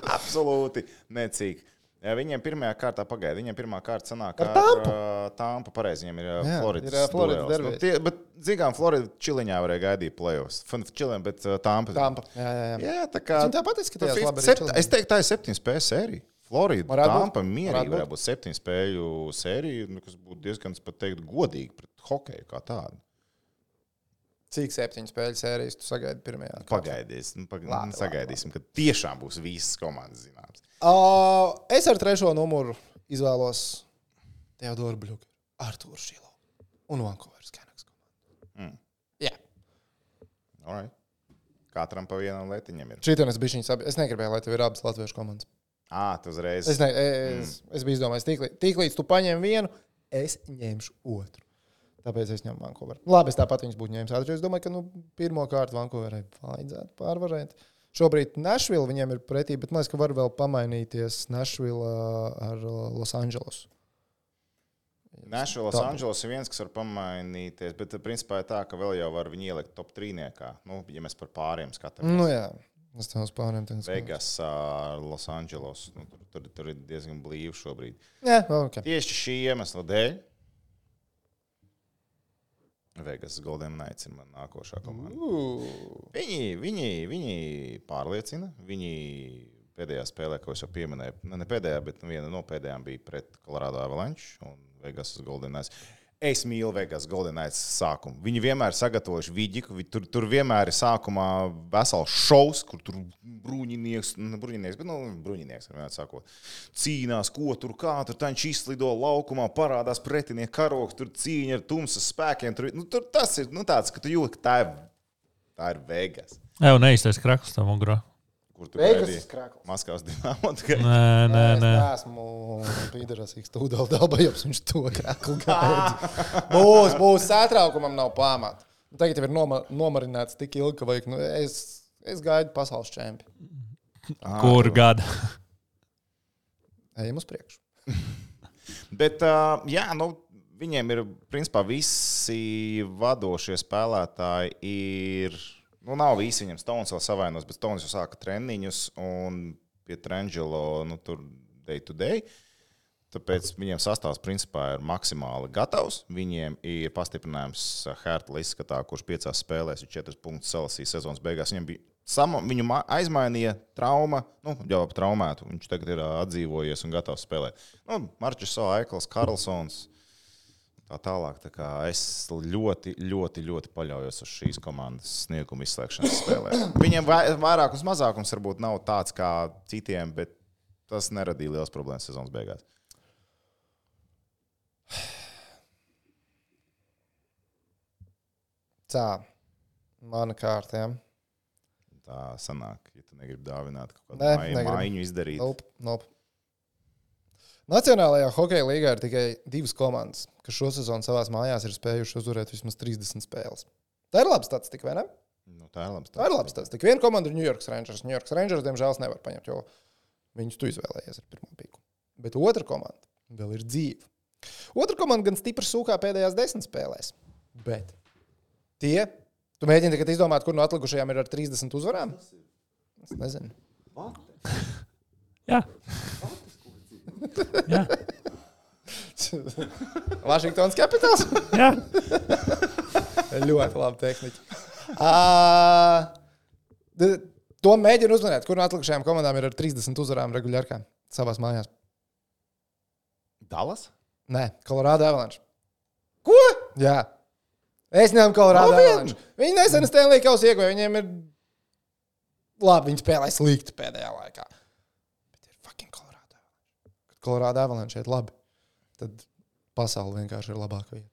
Absolūti necik. Ja viņiem pirmajā kārtā pagaida, viņiem pirmā kārta sanāk Ar Tampu? uh, Tampa, pareizi, viņiem ir uh, Jā, Floridas ir, uh, Floridas duels. derbijs. Nu, tie, bet, zīgām, Florida čiliņā varēja gaidīt playoffs. Fun čiliņ, bet uh, Tampa. Tampa. Jā, jā, jā. Jā, tā kā... Viņi tāpat izskatījās Nu, labi arī sept- Čiliņā. Es teiktu, tā ir septiņu spēļu sērija. Florida, Varētu būt. Tampa mierīgi Varētu būt. varētu būt septiņu spēļu sērija, nu, kas būtu diezgan, pat teikt, godīgi pret hokeju kā tādu. Cik septiņu spēļu sērijas tu sagaidi pirmajā kārtā? Pagaidīs, nu, pag... Labi, nu, sagaidīsim, ka tiešām būs visas komandas zināmas. Uh, es ar trešo numuru izvēlos Teodoru Bļuku, Artūru Šilo un Vancouveras Canucks komandu. Mm. Jā. All right. Katram pa vienam letiņam ir. Šitien es bišķiņ sabi. Es negribēju, lai tev ir abas latviešu komandas. Ā, tu uzreiz. Es, ne, es, mm. es biju izdomājis, tīklīdz, tīklīdz tu paņem vienu, es ņemšu otru. Tāpēc es ņemu Vancouveru. Labi, es tāpat viņus būtu ņēmis. Es domāju, ka nu, pirmo kārtu Vancouverai vajadzētu pārvarēt. Šobrīd Nashville viņiem ir pretī, bet man liekas, ka var vēl pamainīties Nashville ar Los Angeles. Nashville, Los Angeles ir viens, kas var pamainīties, bet principā ir tā, ka vēl jau var viņu ielikt top trīniekā. Nu, ja mēs par pāriem skatāmies. Nu jā, es tev uz pāriem tenku. Vegas, uh, Los Angeles. Nu, tur, tur, tur ir diezgan blīvi šobrīd. Jā, ok. Tieši šī iemesla dēļ Vegas Golden Knights ir mana nākošā komanda. Uh. Viņi, viņi, viņi pārliecina. Viņi pēdējā spēlē, ko es jau pieminēju, ne pēdējā, bet viena no pēdējām bija pret Colorado Avalanche un Vegas Golden Knights. Es mīlu Vegas Golden Knights sākumu. Viņi vienmēr sagatavojuši vidiku, tur, tur vienmēr ir sākumā vesels šovs, kur tur bruņinieks, ne bruņinieks, bet nu, bruņinieks, vienmēr sakot, cīnās, ko tur, kā, tur taņš izslido laukumā, parādās pretinieki karoks, tur cīņa ar tumsas spēkiem, tur, nu, tur tas ir, nu, tāds, ka tu jūti, ka tā ir, tā ir Vegas. Jā, un neiztais krakls tam ugrā. Kur tu Vegas gaidīji? krakls. Maskavas Dinamo. Nē, nē, nē. Es neesmu pīderasīgs tūdēl dalbajums, viņš to kraklu gaida. Būs, būs, satraukumam nav pamata. Tagad jau ir noma, nomarināts tik ilgi, ka vajag, nu, es, es gaidu pasaules čempi. Kur gada? Ejam uz priekšu. Bet, uh, jā, nu, viņiem ir, principā, visi vadošie spēlētāji ir... Nu, nav visi viņam Stones vēl savainos, bet Stones jau sāka treniņus un pie Trangelo, nu, tur day to day. Tāpēc viņiem sastāvs principā ir maksimāli gatavs. Viņiem ir pastiprinājums Hertla izskatā, kurš piecās spēlēs ir četras punktus salasīja sezonas beigās. Viņam bija sama, viņu aizmainīja trauma, nu, jau ap traumētu. Viņš tagad ir atdzīvojies un gatavs spēlēt. Nu, Marčis Aikls, Karlsons. Tā tālāk, tā kā es ļoti, ļoti, ļoti paļaujos uz šīs komandas sniegumu izslēgšanas spēlē. Viņiem vairākums mazākums varbūt nav tāds kā citiem, bet tas neradīja liels problēmas sezonas beigās. Tā, mana kārtiem. Tā sanāk, ja tu negribi dāvināt kaut Nē, kādu negribu. maiņu izdarīt. Nope, nope. Nacionālajā hokeja līgā ir tikai divas komandas, kas šo sezonu savās mājās ir spējuši uzvarēt vismaz trīsdesmit spēles. Tā ir laba statistika, vai ne? Nu, tā ir laba Tā ir laba statistika. Viena komanda ir New York Rangers. New York Rangers, diemžēl, nevar paņemt, jo viņus tu izvēlējies ar pirmo pīku. Bet otra komanda vēl ir dzīva. Otra komanda gan stipri sūkā pēdējās desmit spēlēs. Bet tie, tu mēģini tagad izdomāt, kur no atlikušajām ir ar trīsdesmit uzvarām? Es nezinu. Jā. Jā. Washingtons Capitals? Jā. Ļoti labi tehniķi. Uh, to mēģinu uzmanēt, kur no atlikušajām komandām ir ar trīsdesmit uzvarām regulārkā savās mājās. Dallas? Nē, Colorado Avalanche. Ko? Jā. Es ņemu Colorado Avalanche. Viņi nesen Stanley Kausu ieguva, viņiem ir labi, viņi spēlē slikti pēdējā laikā. Bet ir fucking Colorado Avalanche. Kad Colorado Avalanche šeit labi, tad pasaule vienkārši ir labāka vieta.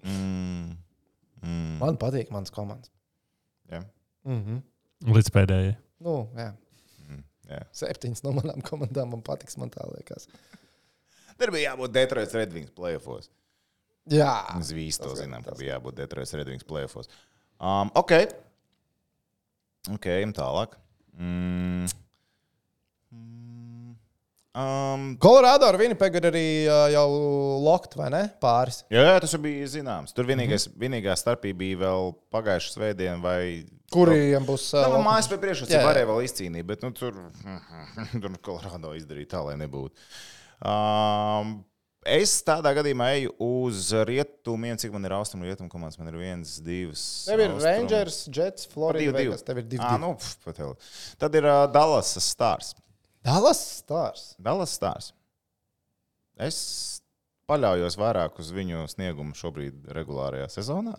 mm. Mm. Man patīk mans komandas. Jā. Mhm. Līdz pēdējai. Nu, jā. Mm. Jā. Septiņas no manām komandām man patiks, man tā liekas. Tur bija jābūt Detroit Red Wings playoffs. Jā. Mēs visi to Tas zinām, tas. ka bija jābūt Detroit Red Wings playoffs. Um, ok. Ok, ejam tālāk. Mm. Mm. Um, Colorado ar Winnipegu ir arī uh, jau lokt, vai ne? Pāris. jā, jā, tas jau bija zināms. Tur vienīgais, mm-hmm. vienīgā starpība bija vēl pagājušas svētdien vai... Kuriem būs... Uh, Nu, lokums? mājas pie priekšrocība Jā, jā. varēja vēl izcīnīt, bet nu, tur, tur Colorado izdarīja tā, lai nebūtu. Um, es tādā gadījumā eju uz rietumiem, cik man ir austrumu rietumu komandas. Man ir viens, divas. Tev ir austrumu. Rangers, Jets, Florida, Divi, divi. Vegas. Tev ir divi. Ā, nu, pf, pat vēl. Tad ir uh, Dallas Stars. Dallas Stars. Dallas Stars. Es paļaujos vairāk uz viņu sniegumu šobrīd regulārajā sezonā.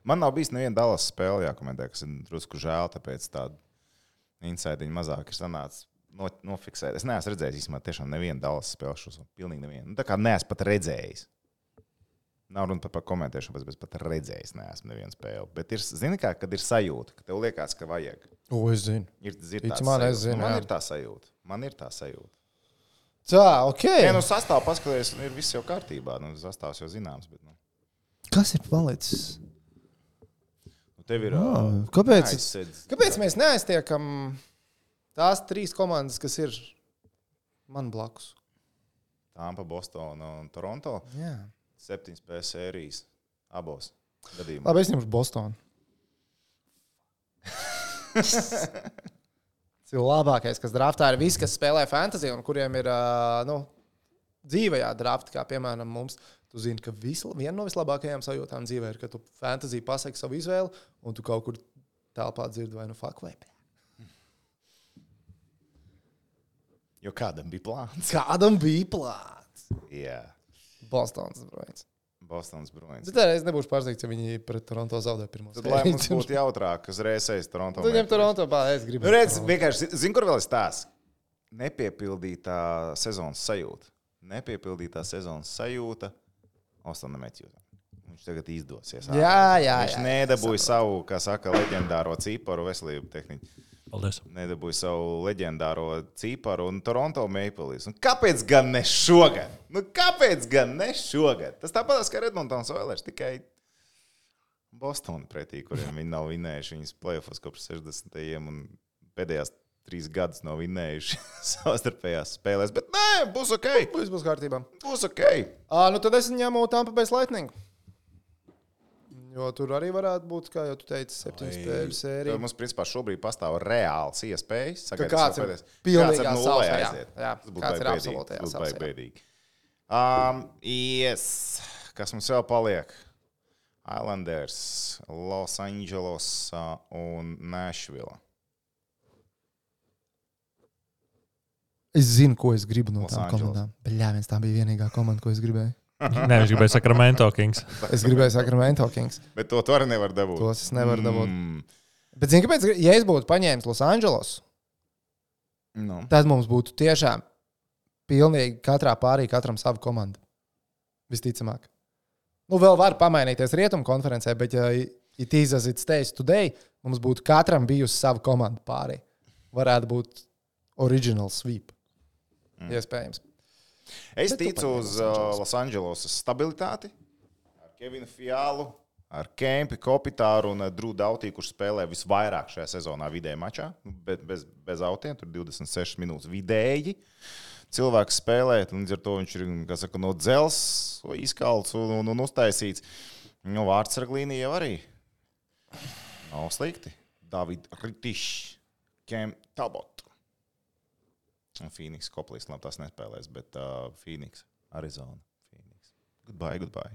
Man nav bijis neviena Dallas spēle jākomentē, kas ir drusku žēl, tāpēc tādu insaidiņu mazāk ir sanācis no, nofiksēt. Es neesmu redzējis īstenībā tiešām nevienu Dallas spēli šos, pilnīgi nevienu. Nu, tā kā neesmu pat redzējis. Nav runa pat par komentēšanu, bet pat redzējis neesmu nevienu spēli. Bet ir, zini kā, kad ir sajūta, ka tev liekas, ka vajag. O, es zinu. Ir, ir Tici tā man, sajūta. es zinu, Man jā. ir tā sajūta. Man ir tā sajūta. Tā, ok. Ja nu sastāv paskaties, ir viss jau kārtībā. Nu, sastāvs jau zināms, bet nu. Kas ir palicis? Nu, tev ir... Oh, ā, kāpēc, aizsedz- kāpēc mēs neaiztiekam tās trīs komandas, kas ir man blakus? Tampa, Bostona un Toronto. Jā. Septiņas spēles sērijas abos gadījumos. Labi, es ņemšu Bostonu. Tas ir labākais, kas draftā ir visi, kas spēlē fantasy un kuriem ir ā, nu, dzīvajā drafta, kā piemēram mums. Tu zini, ka visla, viena no vislabākajām sajūtām dzīvē ir, ka tu fantasy pasaki savu izvēli un tu kaut kur telpā dzirdi vai nu fuck vai. Jo kādam bija plāns. Kādam bija plāns? Jā. Bostons Bruins. Bostons Bruins. Bet tā es nebūšu pārsteigts, ja viņi pret Toronto zaudē pirmo Tad, lai mums būtu jautrāk, kas reizēs Toronto. Tad viņam Toronto bā, es gribu. Redz, vienkārši, zini, kur vēl ir stāsts? Nepiepildītā sezonas sajūta. Nepiepildītā sezonas sajūta Ostonam Matthewsam. Viņš tagad izdosies. Jā, jā, Viņš jā, nedabūja savu, kā saka, leģendāro cīparu veselību tehniku. Paldies. Nedabūja savu leģendāro cīparu un Toronto Maple Leafs. Un kāpēc gan ne šogad? Nu, kāpēc gan ne šogad? Tas tāpat kā Edmontons Oilers, tikai Bostona pretī, kuriem viņi nav vinējuši viņas playoffs kopš sešdesmitajiem un pēdējās trīs gadus nav vinējuši savstarpējās spēlēs. Bet nē, būs ok. Viss būs kārtībā. Būs ok. À, nu tad es ņemu Tampa Bay Lightning. Jo tur arī varētu būt, kā jau tu teici, septiņu spēļu sērija. Mums, principā, šobrīd pastāv reāls iespējas. Ka kāds ir pilnīgā salsā, jā. jā. Tas būtu kāds ir bēdīgi. absolūtajā Tas būtu salsā. bēdīgi. Um, yes. Kas mums vēl paliek? Islanders, Los Angeles un Nashville. Es zinu, ko es gribu no Los tām Angeles. komandām. Bļā, viens tā bija vienīgā komanda, ko es gribēju. Nē, viņš gribēja Sacramento Kings. Es gribēju Sacramento Kings. Bet to tu arī nevar dabūt. Tos es nevaru dabūt. Mm. Bet zini, kāpēc, ja es būtu paņēmis Los Angeles, No. tad mums būtu tiešām pilnīgi katrā pārī katram savu komandu. Visticamāk. Nu, vēl var pamainīties rietumu konferencē, bet ja it is as it stays today, mums būtu katram bijusi savu komandu pārī. Varētu būt original sweep. Mm. Iespējams. Es Bet tu ticu paņem uz Los Angeles. uh, Los Angeles stabilitāti. Ar Kevinu Fialu, ar Kempi, Kopitāru un uh, Drew Doughty, kurš spēlē visvairāk šajā sezonā vidēji mačā. Bez, bez, bez autiem, tur divdesmit sešas minūtes vidēji. Cilvēks spēlē, un līdz ar to viņš ir, kā saka, no dzels, izkalts un, un, un uztaisīts. Nu, vārdsarglīnija jau arī nav slikti. David Ritišs, Kem Talbot. Un Phoenix Koplīs, labi, tas nespēlēs, bet uh, Phoenix, Arizona, Phoenix. Goodbye, goodbye.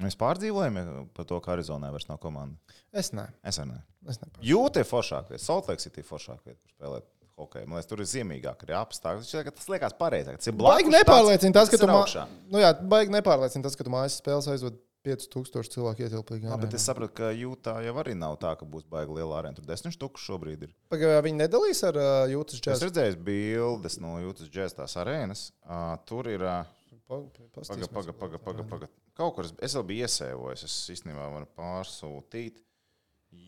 Mēs pārdzīvojam par to, ka Arizonā vairs nav komanda. Es ne. Es arī ne. Es ne. Jūta ir foršāk vieta, Salt Lake City ir foršāk vieta, kur spēlēt hokeju. Man liekas, tur ir ziemīgāk arī apstākļi. Tas liekas pareizāk. Tas ir blakus. Baigi nepārliecina tas, ka tu mā... augšā. nu, jā, baigi nepārliecina tas, ka tu mājas spēles aizved pieci tūkstoši cilvēku ietilpīgi. Jā, bet es saprotu, ka Jūtā jau arī nav tā, ka būs baigi liela arēna. Tur desmit štuku šobrīd ir. Pagaidām viņi nedalīs ar uh, Jūtas Es džēzu. redzēju bildes no Jūtas džēzas tās arēnas. Uh, tur ir... Uh, Paga, paga, paga, paga, paga. Kaut kur es, es vēl biju iesēvojis, es īstenībā varu pārsūtīt,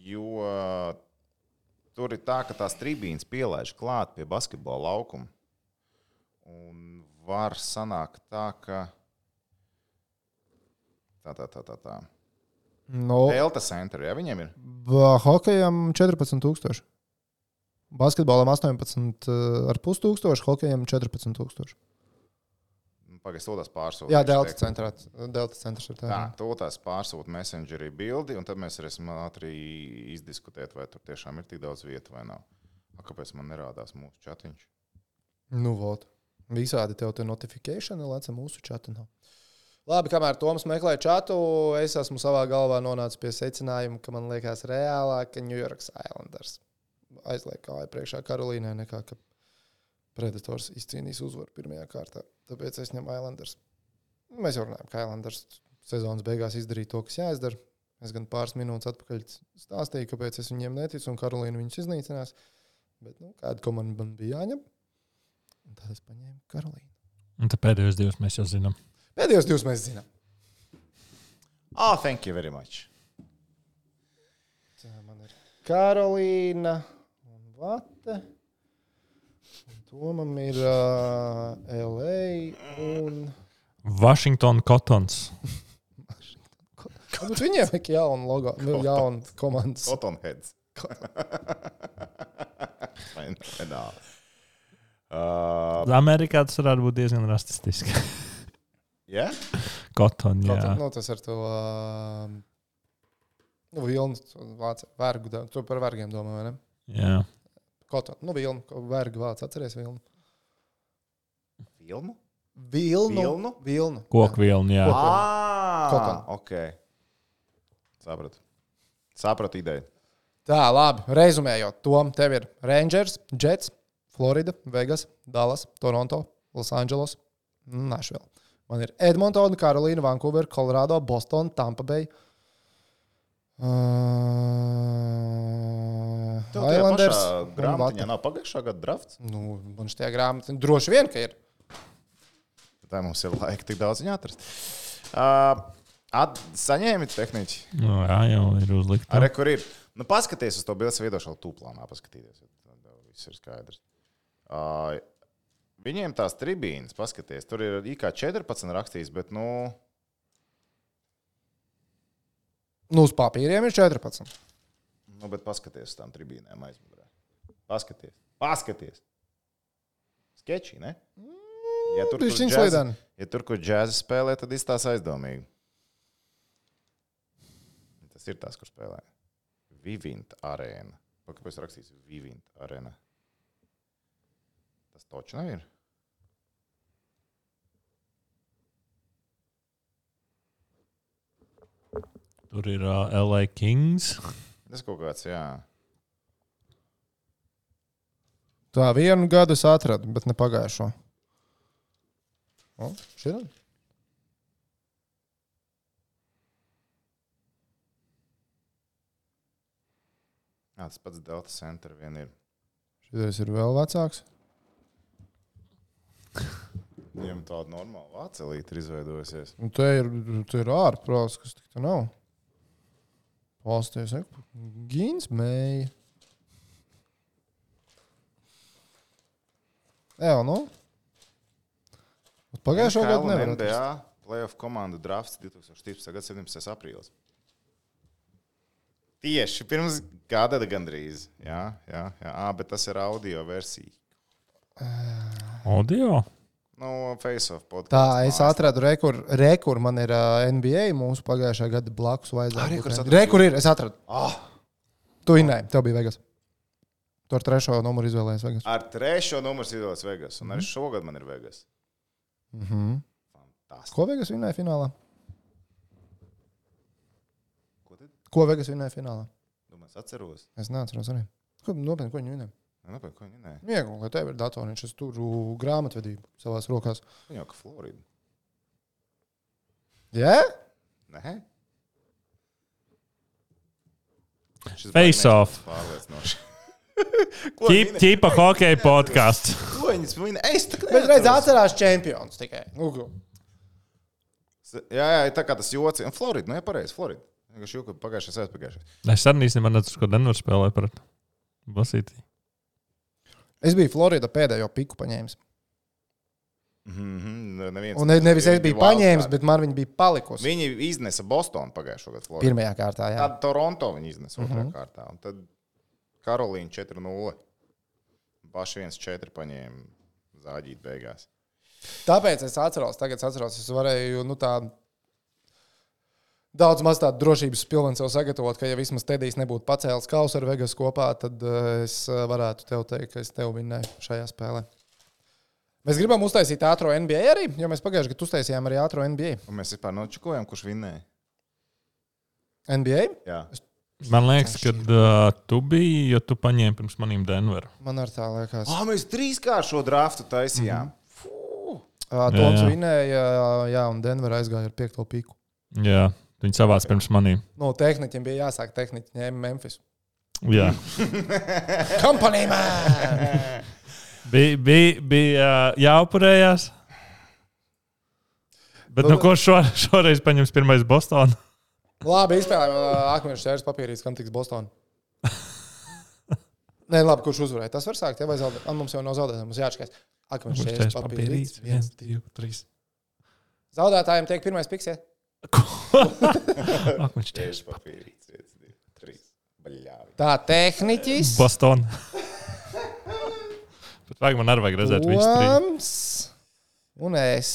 jo tur ir tā, ka tās tribīnes pielaiž klāt pie basketbola laukuma. Un var sanākt tā, ka tā, tā, tā, tā, tā. No, Delta Center, jā, viņiem ir? hokejam četrpadsmit tūkstoši. Basketbolam astoņpadsmit ar pus tūkstoši, hokejam četrpadsmit tūkstoši. Pagaid, to tās pārsūta. Jā, Delta centrā. Delta centrs ir tā. Tā, to tās pārsūta messengerī bildi, un tad mēs varēsim ātri izdiskutēt, vai tur tiešām ir tik daudz vietu vai nav. A, kāpēc man nerādās mūsu chatiņš? Nu, vot. Visādi tev te notifikācija lēca mūsu chatu. Nav. Labi, kamēr Toms meklē chatu, es esmu savā galvā nonācis pie secinājuma, ka man liekas reālāk, ka New York Islanders aizliek kāju priekšā Karolīnai nekā, ka Predators izcīnīs uzvaru pirmajā kārtā. Tāpēc es ņemu Islanders. Mēs jau runājam, ka Islanders sezonas beigās izdarīja to, kas jāizdara. Es gan pāris minūtes atpakaļ stāstīju, kāpēc es viņiem neticu, un Karolīna viņus iznīcinās. Bet, nu, kāda komanda man bija jāņem? Un tad es paņēmu Karolīnu. Un tad pēdējos divus mēs jau zinām. Pēdējos divus mēs zinām. Oh, thank you very much. Tā man ir Karolīna un Vate. Tomam ir uh, L A un... Washington Cottons. Bet viņiem ir jauna logo, nu, jauna komandas. Cottonheads. Fenomenāli. Uh, Amerikā tas varētu būt diezgan rasistiski. Jā? Cotton, jā. Cotton, nu, tas ar to uh, nu, vilnu vācu vergu. Tu par vergiem domā, vai ne? Jā. Cotton, nu, vilnu, vergu vācu, atceries vilnu? Vilnu? Vilnu. Vilnu? Vilnu. Koku vilnu, jā. Ah, ok. Sapratu. Sapratu ideju. Tā, labi, rezumējot, Tom, tev ir Rangers, Jets, Florida, Vegas, Dallas, Toronto, Los Angeles, Nashville. Man ir Edmontona, Karolīna, Vancouver, Colorado, Boston, Tampa Bay, uh, Islanders. Grāmatiņā nav pagājušā gada drafts? Nu, man šitie grāmati droši vien, ka ir. Tā mums ir laika tik daudz viņu atrast. Uh, at, saņēmi tehniķi? Nu, jā, jau ir uzlikta. Arī kur ir? Nu, paskaties uz to bildes veidošanu tūplānā, paskatīties. Viss ir skaidrs. Uh, viņiem tās tribīnas, paskaties, tur ir I K četrpadsmit rakstīts, bet, nu... Nu, uz papīriem ir četrpadsmit. Nu, bet paskaties uz tām tribīnēm aizmugurē. Paskaties. Paskaties. Skečī, ne? Ja tur, kur džēzi, ja tur, kur džēzi spēlē, tad izstās aizdomīgi. Tas ir tās, kur spēlē. Vivint arēna. Kāpēc rakstīts Vivint arēna? Tas toči nav ir? Tur ir uh, L A Kings. Tas kaut kāds, jā. Tā vienu gadu es atradu, bet ne pagājušo. O, šitā? Jā, tas pats Delta Center vien ir. Šitais ir vēl vecāks. Viņam tāda normāla vācelīte ir izveidojusies. Un te ir, te ir ārprāts, kas tik te nav. Pasties, Gīns mēja. Jā, nu. Pagājušo gadu nevar N B A playoff komandu drafts divtūkstoš trīspadsmitā gada septiņpadsmitais aprīlis. Tieši pirms gada gandrīz. Jā, jā, jā. À, bet tas ir audio versija. Audio? Nu, Face-Off podcasts. Tā, es atradu rekur, rekur man ir uh, N B A mūsu pagājušā gada blakus vajadzētu. Rekur ir, es atradu. Ah. Tu innēji, tev bija Vegas. Tu ar trešo numuru izvēlējies Vegas. Ar trešo numuru izvēlējies Vegas. Un arī šogad man ir Vegas. Mhm. Fantastiski. Ko Vegas vinnēja finālā? Ko tad? Ko Vegas vinnēja finālā? Domāju, es atceros. Es neatceros arī. Ko, nopietni, ko viņi vinnēja? Nē, ko viņi nē. Viegli, ka tev ir datoriņš, es turu grāmatvedību savās rokās. Viņa jau ka Florida. Jā? Yeah? Nē? Face-Off. Pārliecinoši. Ķipa hokeja podkāsts. Ko viņas viņa? Es tā kā Bet redz, atcerās čempions tikai. Google. Jā, jā, tā kā tas joci. Un Florida, nu jā, pareizi, Florida. Vienkārši jūka pagājušais aizpagājušais. Es arī īstenībā nezinu, ko Denver spēlēja par Basītī. Es biju Florida pēdējo piku paņēmis. Mm-hmm. Neviens, Un ne, nevis es biju paņēmis, bet man viņi bija palikusi. Viņi iznesa Bostonu pagājušo gadu Florida. Pirmajā kārtā, jā. Tad Toronto viņi iznesa otrajā Mhm. kārtā. Un tad Karolīna četri nulle. Paši viens četri paņēma zāģīt beigās. Tāpēc es atceros, tagad es atceros, es varēju, nu tā, daudz maz tādu drošības pilvenu sev sagatavot, ka ja vismaz Tedijs nebūtu pacēlis kausu ar Vegas kopā, tad uh, es varētu tev teikt, ka es tev vinnēju šajā spēlē. Mēs gribam uztaisīt ātro N B A arī, jo mēs pagājuši gadu uztaisījām arī ātro N B A. Un mēs vispār nočukojam, kurš vinnēja. N B A? Jā. Man liekas, ka uh, tu biji, jo tu paņēmi pirms manīm Denveru. Man ar tā liekas. Ah, mēs trīskārt šo draftu taisījām. Mm-hmm. Uh, Toms vinnēja, jā, un Denver aizgāja ar piekto piku. Jā, viņi savāc pirms manīm. Nu, tehniķiem bija jāsāk, tehniķi ņēma Memphis. Jā. Company man! Bija bij, bij, uh, jāupurējās. Bet nu, ko šo, šoreiz paņems pirmais Bostonu? Labi, izspēlējām akmeņu šķērs papīrītes, kam tiks Bostonu. Nē, labi, kurš uzvarēja? Tas var sākt, ja vai zaudēt? Man mums jau nav zaudētājs, mums jāatškais. Akmeņu šķērs papīrītes. viens, divi, trīs. Zaudētājiem tiek pirmais piks, ja? Ko? Akmeņu šķērs papīrītes. viens, divi, trīs. Baļāvi. Tā, tehniķis. Bostonu. Bet vajag man arī vajag redzēt visu trīs. Toms. Un es.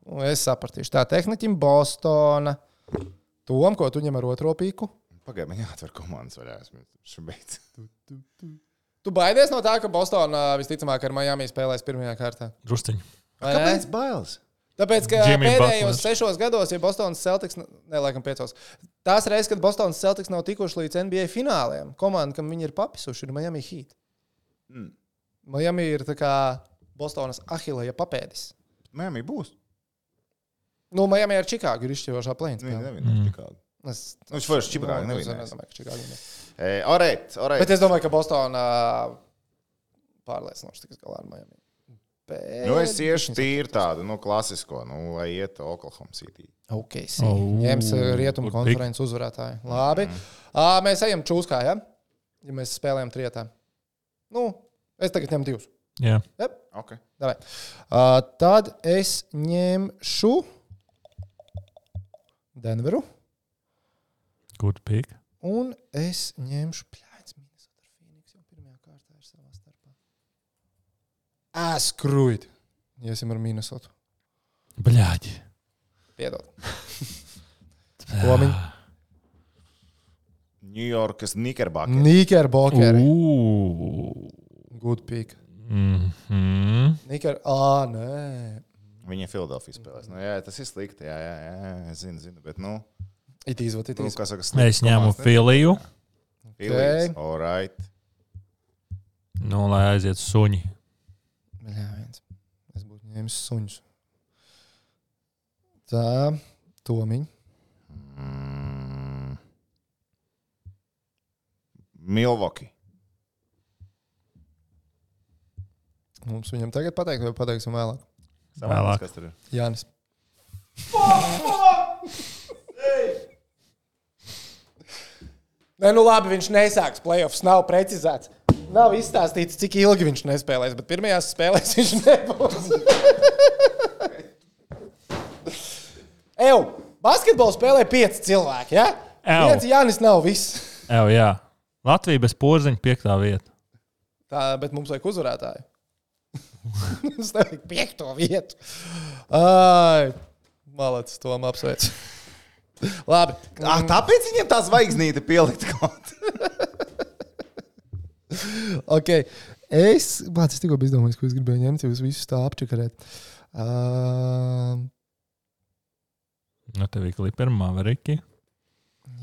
Un es sapratīšu. Tā, tehniķim Bostona. Tom, ko tu ņem ar otro piku? Pagaid, man jāatver komandas vaļā. Esmu beidz. Tu baidies no tā, ka Bostona visticamāk ar Miami spēlēs pirmajā kārtā? Drusciņu. Vai ne? Kāpēc bailes? Tāpēc, ka Jimmy pēdējos Butlers. sešos gados, ja Bostonas Celtics, ne, laikam piecos, tās reizes, kad Bostonas Celtics nav tikuši līdz N B A fināliem, komanda, kam viņi ir papisuši, ir Miami Heat. Mm. Miami ir tā kā Bostonas Ahilēja papēdis. Miami būs. Nu, Miami ar Čikāgu ir izšķirošā plēns. Viņi nevien ar Čikāgu. Es, Nu, viņš vairs Čikāgu es nevinās. nedomāju, ka Čikāgu nevinās. E, alright, alright. Bet es domāju, ka Bostona pārliecinoši tiks galā ar Miami. Bet... Nu, es iešu tīri tādu, nu, klasisko, nu, lai iet Oklahoma City. Ok, sī. Oh, ņems rietumu konferences uzvarētāju. Labi. Mm. Uh, mēs ejam čūskā, ja? Ja mēs spēlējam trietā. Nu, es tagad ņemu divus. Jā. Yep. Ok. Davai. Uh, tad es ņemšu Denveru. Good pick. Un es ņemšu pļāds Minnesota Phoenix jau pirmajā kārtā ir savā starpā. Askrūjt. Iesim ar Minnesotu. Bļāģi. Piedod. Komiņ. New Yorkas Knickerbockers. Knickerbockeri. Ooh. Good pick. Mhm. Knicker... Ā, nē. Viņa Philadelphia spēlēs. Nu, jā, tas ir slikti, jā, jā, jā, es zinu, zinu, bet, nu... It is what it Nu, is. kā saka, slikti Es ņēmu komandas, ne? Filiju. Phillies, all right. Nu, lai aiziet suņi. Jā, viens. Es būtu ņēmis suņus. Tā, Tomiņ. Mm. Milwaukee. Mums viņam tagad pateikt, vai pateiksim vēlāk? Vēlāk. Kas tur ir? Jānis. Nē, nu labi, viņš nesāks playoffs, nav precizēts. Nav izstāstīts, cik ilgi viņš nespēlēs, bet pirmajās spēlēs viņš nebūs. Ew, basketbolu spēlē pieci cilvēki, ja? Ew. Viens Jānis nav viss. Ev, jā. Latvija bez porziņa piektā vieta. Tā, bet mums vajag uzvarētāju. Mums nevajag piekto vietu. Ai, malacis, Tom apsveic. Labi. Ah, tāpēc viņiem tā zvaigznīte pielikt kaut. Ok. Es, bāc, es tikko biju izdomājis, ko es gribēju ņemt, jūs visus tā apčakarēt. Uh, Nu, tev ir Clippers, Mavericki.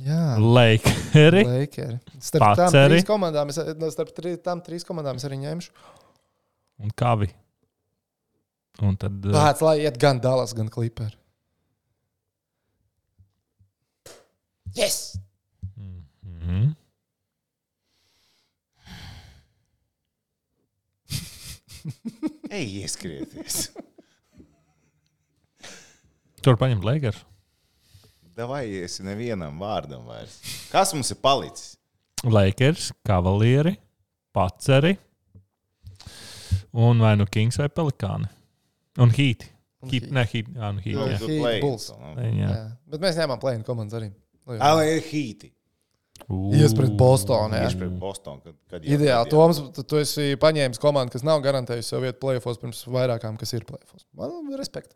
jā. Lakeri. Lakeri. Starp tām Paceri. trīs komandām, es, no, starp tri, tām trīs komandām es arī ņemšu. Un Kavi. Un tad... uh, Bāc, lai iet gan Dallas, gan Clippers. Yes! Mhm. Ej, ieskrieties. Tur paņemt Lakers. Davai, esi nevienam vārdam vairs. Kas mums ir palicis? Lakers, Kavalieri, Paceri. Un vai nu Kings vai Pelikāni. Un Heat. Un Heat, Heat. ne, Heat, jā, nu Heat. Nu, Jā. tu Heat, play. Bulls. Jā. Jā. Bet mēs ņēmām play-in komandas arī. Nu, jā. Ah, vai Heati. Ies pret Bostonu, jā. Tieši pret Bostonu. Kad, kad jau- Ideāli. kad jau- Toms, tu, tu esi paņēmis komandu, kas nav garantējusi sev vietu play-offos pirms vairākām, kas ir play-offos. Man respekt.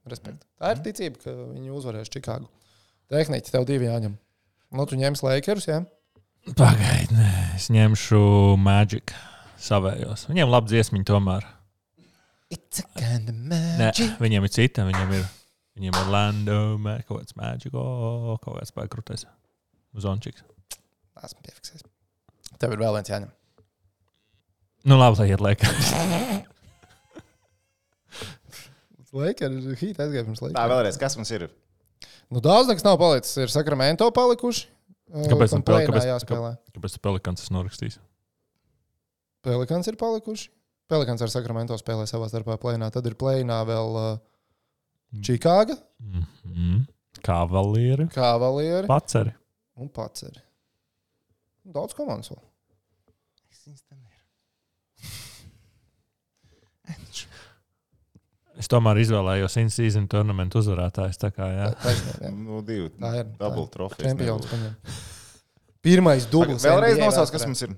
respekt. Tā ir ticība, ka viņi uzvarēs Čikāgu. Tehniķi tev divi jāņem. Nu, tu ņems Lakerus, jā? Pagaid, nē, es ņemšu Magic savējos. Viņiem labi dziesmiņi tomēr. It's a kind of Nē, magic. viņiem ir cita, viņiem ir, viņiem ir Orlando, ma- kaut kāds Magic, o, kaut kāds pēkrūtais. Zončiks. Esmu piefiksējis. Tev ir vēl viens jāņem. Nu labi, lai iet Lakers. Lakers, Heat aizgāja pirms Tā, Lakers. vēlreiz, kas mums ir? Nu, daudz nekas nav palicis. Ir Sacramento palikuši. Kāpēc Kam man pel- play-inā kāpēc- jāspēlē? Kāpēc tu Pelikans es norakstīs? Pelikans ir palikuši. Pelikans ar Sacramento spēlē savā starpā play-inā. Tad ir play-inā vēl uh, Čikāga, Mm-hmm. Kavalieri, Kavalieri Paceri. un Paceri. Daudz komandas vēl. Es tomēr izvēlējos in-season tournament uzvarētājs. Tā kā, jā. Taisnība, jā. Nu, divi. Tā ir. Double tā ir. trofejas. Čempions paņem. Pirmais dublis. Vēlreiz N B A nosauc, kas vēsturē. mums ir.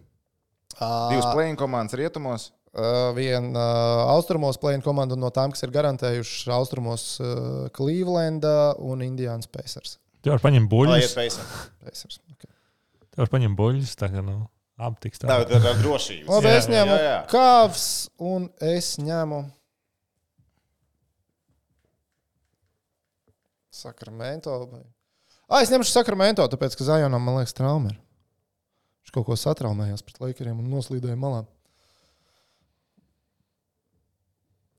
Ā, Divas play-in komandas rietumos. Uh, Viena uh, austrumos play-in komanda no tām, kas ir garantējušas austrumos uh, Clevelanda un Indians Pacers. Tu vari paņemt Lai buļļus. iet Pacers. Pacers. Okay. Tu vari paņemt buļļus. Tā kā, nu, abi tiks Tā tā. ir tā drošība. Labi, Jā, es ņemu jā, jā. Cavs un es ņemu Sacramento. Ah, es ņemšu Sacramento, tāpēc, ka Zajonam, man liekas, trauma ir. Viņš kaut ko satraumējās pret Lakeriem un noslīdēja malā.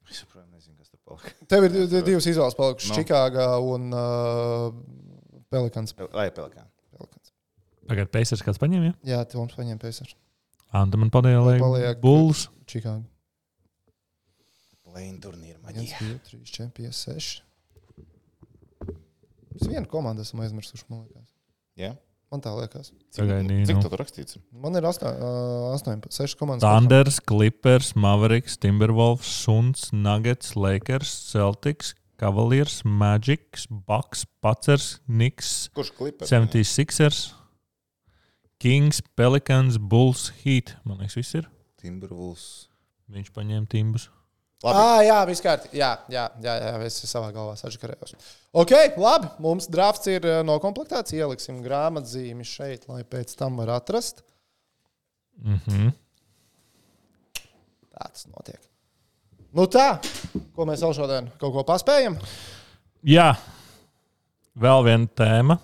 Es saprotu, nezinu, kas tur palika. Tev ir div- divas izvēles palikušas no. Čikāgā un uh, Pelikans. Lai Pelikāns. Pelikans. Tagad Pacers kāds paņēma, ja? Jā, tev mums paņēma Pacers. Anta man padēja, lai Bulls. Čikāga. Play-in turnīra viens, maģija. divi, trīs, četri, pieci, seši. Es vienu komandu esmu aizmirsuši, man liekas. Jā? Man tā liekas. Sagaidīju. Cik Nu. tu tur rakstīts? Man ir astoņpadsmit, seši komandas. Thunders, Clippers, Mavericks, Timberwolves, Suns, Nuggets, Lakers, Celtics, Cavaliers, Magic, Bucks, Pacers, Knicks, Kurš klipers? seventy-sixers, Kings, Pelicans, Bulls, Heat. Man liekas, viss ir. Timberwolves. Viņš paņēma timbus. Labi. Ah, jā, viss kārtībā. Jā, jā, jā, jā, es savā galvā sačakarējos. Ok, labi. Mums drafts ir nokomplektēts. Ieliksim grāmatzīmi šeit, lai pēc tam var atrast. Mhm. Tā tas notiek. Nu tā, ko mēs vēl šodien kaut ko paspējam? Jā. Vēl viena tēma.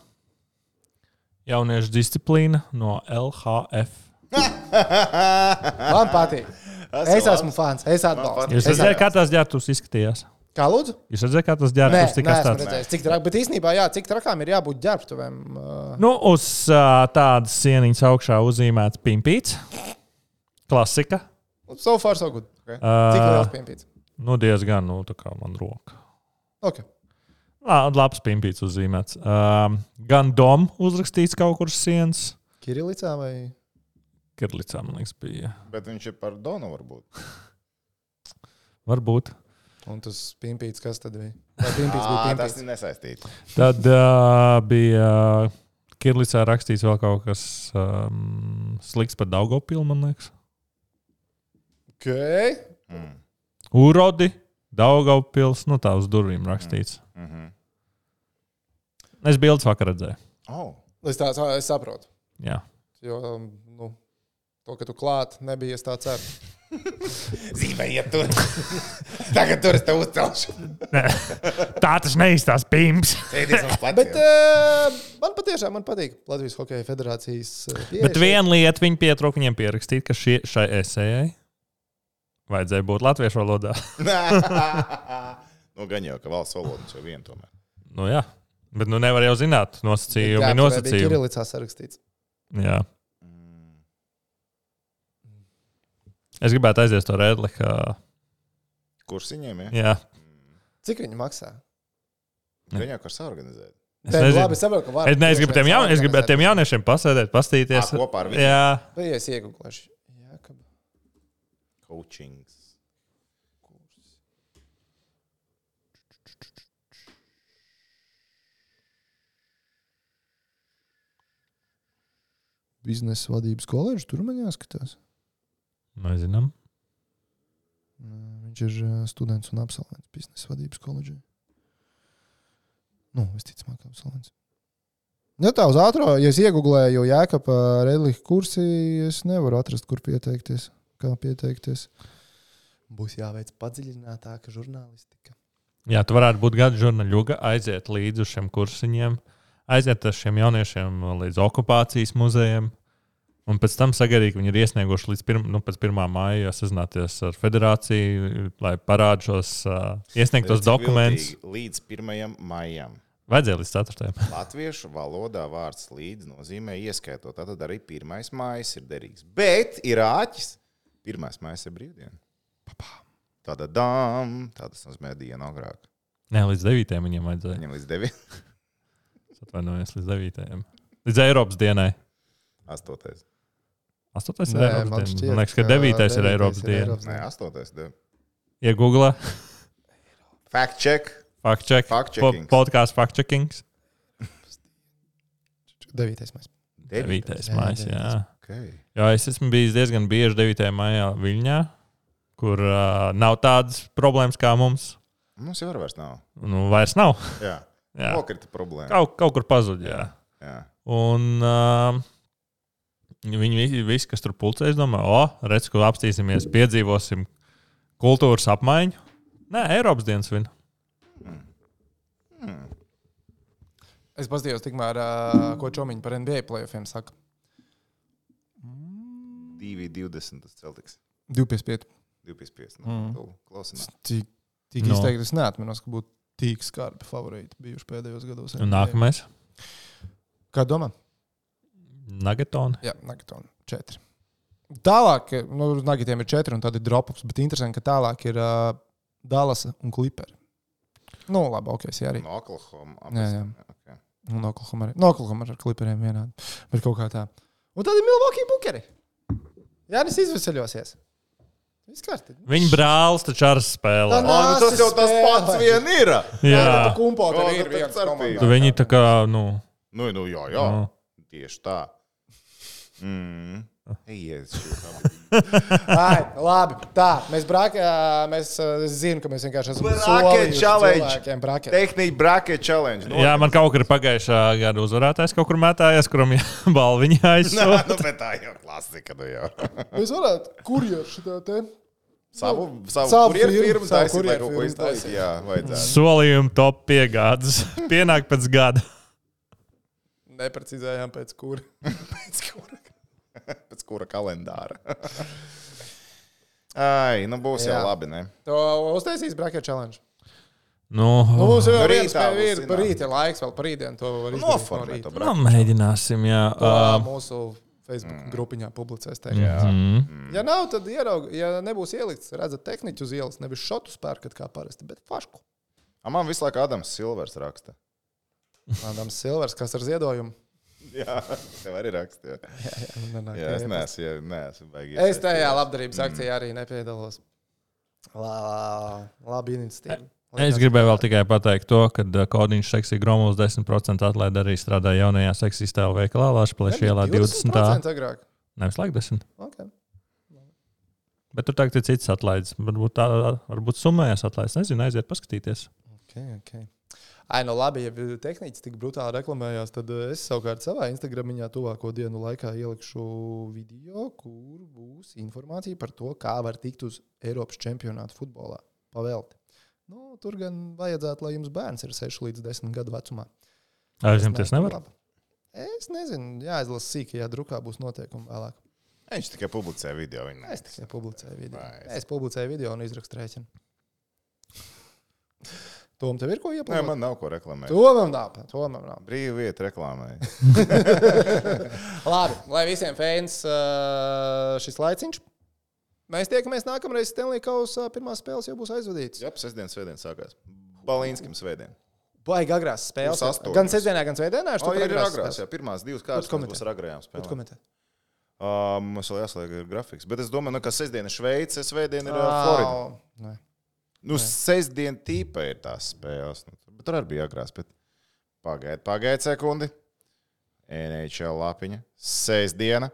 Jauniešu disciplīna no L H F. Man patīk. Es esmu fans. Es atbalstu. Jūs redzējāt, kā tās ģērbtuves izskatījās? Kā lūdzu? Jūs redzējāt, kā tas Nē, ģērbtuves tika neesmu atstāts? redzējis. Cik trak, bet īstenībā, jā, cik trakām ir jābūt ģērbtuvēm? Uh, Nu, uz uh, tādas sieniņas augšā uzzīmēts pimpīts. Klasika. so far, so good. Okay. Cik Uh, liels piempīts? nu, diezgan, nu, tā kā man roka. Ok. Lā, labs pimpīts uzzīmēts. Um, gan dom uzrakstīts kaut kur uz sienas. Kirilicā vai? Kirlicā, man liekas, bija. Bet viņš ir par Donu varbūt. Varbūt. Un tas piempīts, kas tad bija? Vai piempīts bija Ā, tas piempīts? ir nesaistīts. Tad uh, bija Kirlicā rakstīts vēl kaut kas um, slikts par Daugopilu, man liekas. Ok. Mm. Urodi, Daugavpils, nu tā uz durvīm rakstīts. Mm-hmm. Es bildes vakar redzēju. Oh. Es tā es saprotu. Jā. Jo, nu, to, ka tu klāt, nebija es tā ceru. Zīmējiet tur. Tagad tur es tev uzcelšu. Tā tas neizstās pimps. Sēdies uz pleciem. Bet uh, man patiešām man patīk Latvijas Hokeja federācijas uh, pieeja. Bet viena lieta viņi pietrūka viņiem pierakstīt, ka šie, šai esejai vajadzēja būt latviešu valodā. Nu, gan jau, ka valsts valodas jau vien tomēr. Nu jā, bet nu nevar jau zināt nosacījumi, Jā, tur bija nosacījumi. Kirilicā sarakstīts. Jā. Es gribētu aiziet to rēdli, ka... Kursiņiem, ja? Jā. Cik viņi maksā? Gan jau, kas organizēt. Es Nē, nezinu. labi, es saprotu, ka var. Es, ne, es gribu tiem, jaun, es gribu tiem jauniešiem pasēdēt, pastīties. Ā, kopā ar viņiem? Jā. Vai es iegūlēšu? Jā, ka... Coachings. Biznesa vadības koledžu, tur man jāskatās. Nezinām. Viņš ir uh, students un absolvents biznesa vadības koledžē. Nu, visticamāk, absolvents. Ja tā uz ātrā, ja es iegooglēju Jēkaba Redliha kursi, es nevaru atrast, kur pieteikties. Kā pieteikties. Būs jāveic padziļinātāka žurnālistika. Jā, tu varētu būt gada žurnāļuga, aiziet līdz uz šiem kursiņiem, aiziet ar šiem jauniešiem līdz okupācijas muzejiem, un pēc tam sagaidīt, ka viņi ir iesnieguši līdz pirm, nu, pēc pirmā māja, sazināties ar federāciju, lai parāda šos uh, iesniegtos dokumentus. Līdz pirmajam maijam. Vajadzēja līdz ceturtajam. Latviešu valodā vārds līdz nozīmē ieskaitot. Tātad arī pirmais mājas ir derīgs. Bet ir āķis. Pirmais mājas ir brīvdiena. Tāda dām. Tādas nozīmē dienu agrāk. Nē, līdz devītajam viņiem vajadzēja. Viņam līdz devītajam. Es atvainojos līdz devītajam. Līdz Eiropas dienai. Astotais. Astotais ir Nē, Eiropas man diena. šķiet, Man liekas, ka ka devītais ir devītais Eiropas ir diena. Eiropas Nē, astotais. De. Iegooglē. Fact check. Fact check. Fact Po, checkings. podkāsts fact checkings. Devītais mēs. Devītais Jā, mājas, jā. devītais. Okay. Jā, es esmu bijis diezgan bieži devītajā maijā Viļņā, kur uh, nav tādas problēmas kā mums. Mums jau vairs nav. Nu, vairs nav. Jā. Jā. Nokrita problēma. Kaut, kaut kur pazuda, jā. Jā. Un uh, viņi visi, visi, kas tur pulcēs, domā, o, redz, ko apstīsimies, piedzīvosim kultūras apmaiņu. Nē, Eiropas dienas vien. Hmm. Es paskatījos tikmēr, uh, ko Čomiņi par N B A playoffiem saka. divi divdesmit tas Celtics. divi pieci pieci. divi pieci pieci. Mm. Klausināt. Tik, tik no. izteikti es neatminos, ka būtu tik skarbi favorīti bijuši pēdējos gados. Un nākamais? Kā domā? Nagetoni. Jā, Nagetoni. Četri. Tālāk, nu, Nagetiem ir četri un tad ir dropups, bet interesanti, ka tālāk ir uh, Dallas un Clipperi. Nu, labi, ok, es arī. No Oklahoma. Jā, jā. Okay. Un Oklahoma arī. No Oklahoma ar Clipperiem vienādi. Bet kaut kā tā. Un tad ir Milwaukee Bukeri. Jānis izveseļosies. Viss kārtīgi. Viņa brālis taču ar spēlē. O, nu tas jau tas pats vien ir. Jā. Tā kumpo tev ir viens komandā. Tu viņi tā kā, nu... Nu, nu jā, jā. Nu. Tieši tā. Mm. Eies, Ai, labi, tā, mēs brākē, mēs zinu, ka mēs vienkārši esam bracket challenge. Bracket. Tehnika bracket challenge. No, jā, man kaut kur pagājušā gada uzvarētājs kaut kur mētājās, kuram balviņa aizsūta. Nu, bet tā jau klasika, nu jau. Mēs varētu kurjeru šitā te. Savu, savu, savu kurjeru firmu, firmu savu taisīt, lai kurjeru kaut ko firmu iztaisīt. taisīt. Jā, vajadzētu. Solījumu top piegādes. Pienāk pēc gada. Neprecizējām pēc kura. Pēc kura. Pēc kura kalendāra. Ai, nu būs jā. Jau labi, ne? To uztaisīs bracket challenge. Nu, Nu, mums jau Nu, ir viens rītā spēle, būs ir par rītu ir laiks vēl par rītdienu. To var izdarīt no Noformēt to rīta. nu, mēģināsim, jā. To Uh, mūsu Facebook Mm. grupiņā publicēs teikt. Jā. mm. Ja nav, tad ieraug, ja nebūs ielikts, redzat tehniķu uz ielas, nevis šotu spērkat kā parasti, bet fašku. A, man visu laiku Adams Silvers raksta. Adams Silvers, kas ar ziedojumu? Jā, tev arī raksta. Jā, Jā, jā, nenāk, jā es neesmu, jā, neesmu baigi. Es tajā labdarības akcijā arī nepiedalos. Lā, labi iniciatīva. Es gribēju vēl tikai pateikt to, ka Kodiņš Seksī Gromuls desmit procenti atlaida arī strādā jaunajā Seksī stēlu veikalā Lašplēša ielā divdesmitā. Agrāk. Nevis laik desmit. Okay. Bet tur tagad ir cits atlaides. Varbūt tā, varbūt summējās atlaides. Nezinu, aiziet paskatīties. Okay, okay. Ai, no labi, ja tehniķis tik brutāli reklamējās, tad es savukārt savā Instagramiņā tuvāko dienu laikā ielikšu video, kur būs informācija par to, kā var tikt uz Eiropas čempionātu futbolā pavelti. Nu, tur gan vajadzētu, lai jums bērns ir seši līdz desmit gadu vecumā. Aizņemties nevar? Labi. Es nezinu, jāizlasa sīkajā drukā būs noteikumi vēlāk. Viņš tikai publicē video. Es tikai publicēju video. Vai, es... Es publicēju video un izrakstu rēķinu. Tom, tev ir ko Nē, ieplānot? man nav ko reklamēt. Tomam nav. Tomam nav. Brīva vieta reklāmai. Labi, lai visiem fans uh, šis laiciņš. Mēs tiekamies nākamreiz Stanley Kausa pirmās spēles jau būs aizvadītas. Jā, sestdien, svētdien sākās. Balīnskim svētdien. Baigi agrās spēles. Būs astoņas. Gan sestdienā, gan svētdienā. O, ir agrās, jā, pirmās divas kārtas komentē? būs ar agrējām Ko tu spēlēm. komentē? Uh, mums vēl jāslēg ir grafiks. Bet es domāju, nu, ka sestdien ir Šveice, svētdien ir uh, Florida. Nē. Nu, sestdien tīpa ir tās spēles. Nu, bet tur arī bija agrās. Bet pagaid, pagaid sekundi. N H L lapiņa. Sestdiena.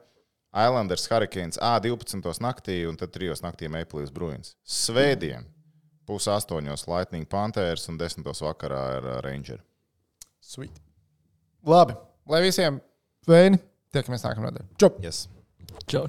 Islanders Hurricanes A divpadsmitos naktī un tad trijos naktī Maple Leafs Bruins. Svētdien. Pus astoņos Lightning Panthers un desmitos vakarā ir uh, Ranger. Sweet. Labi, lai visiem veini. Tiekamies nākamā nedēļa. Čau! Yes. Čau.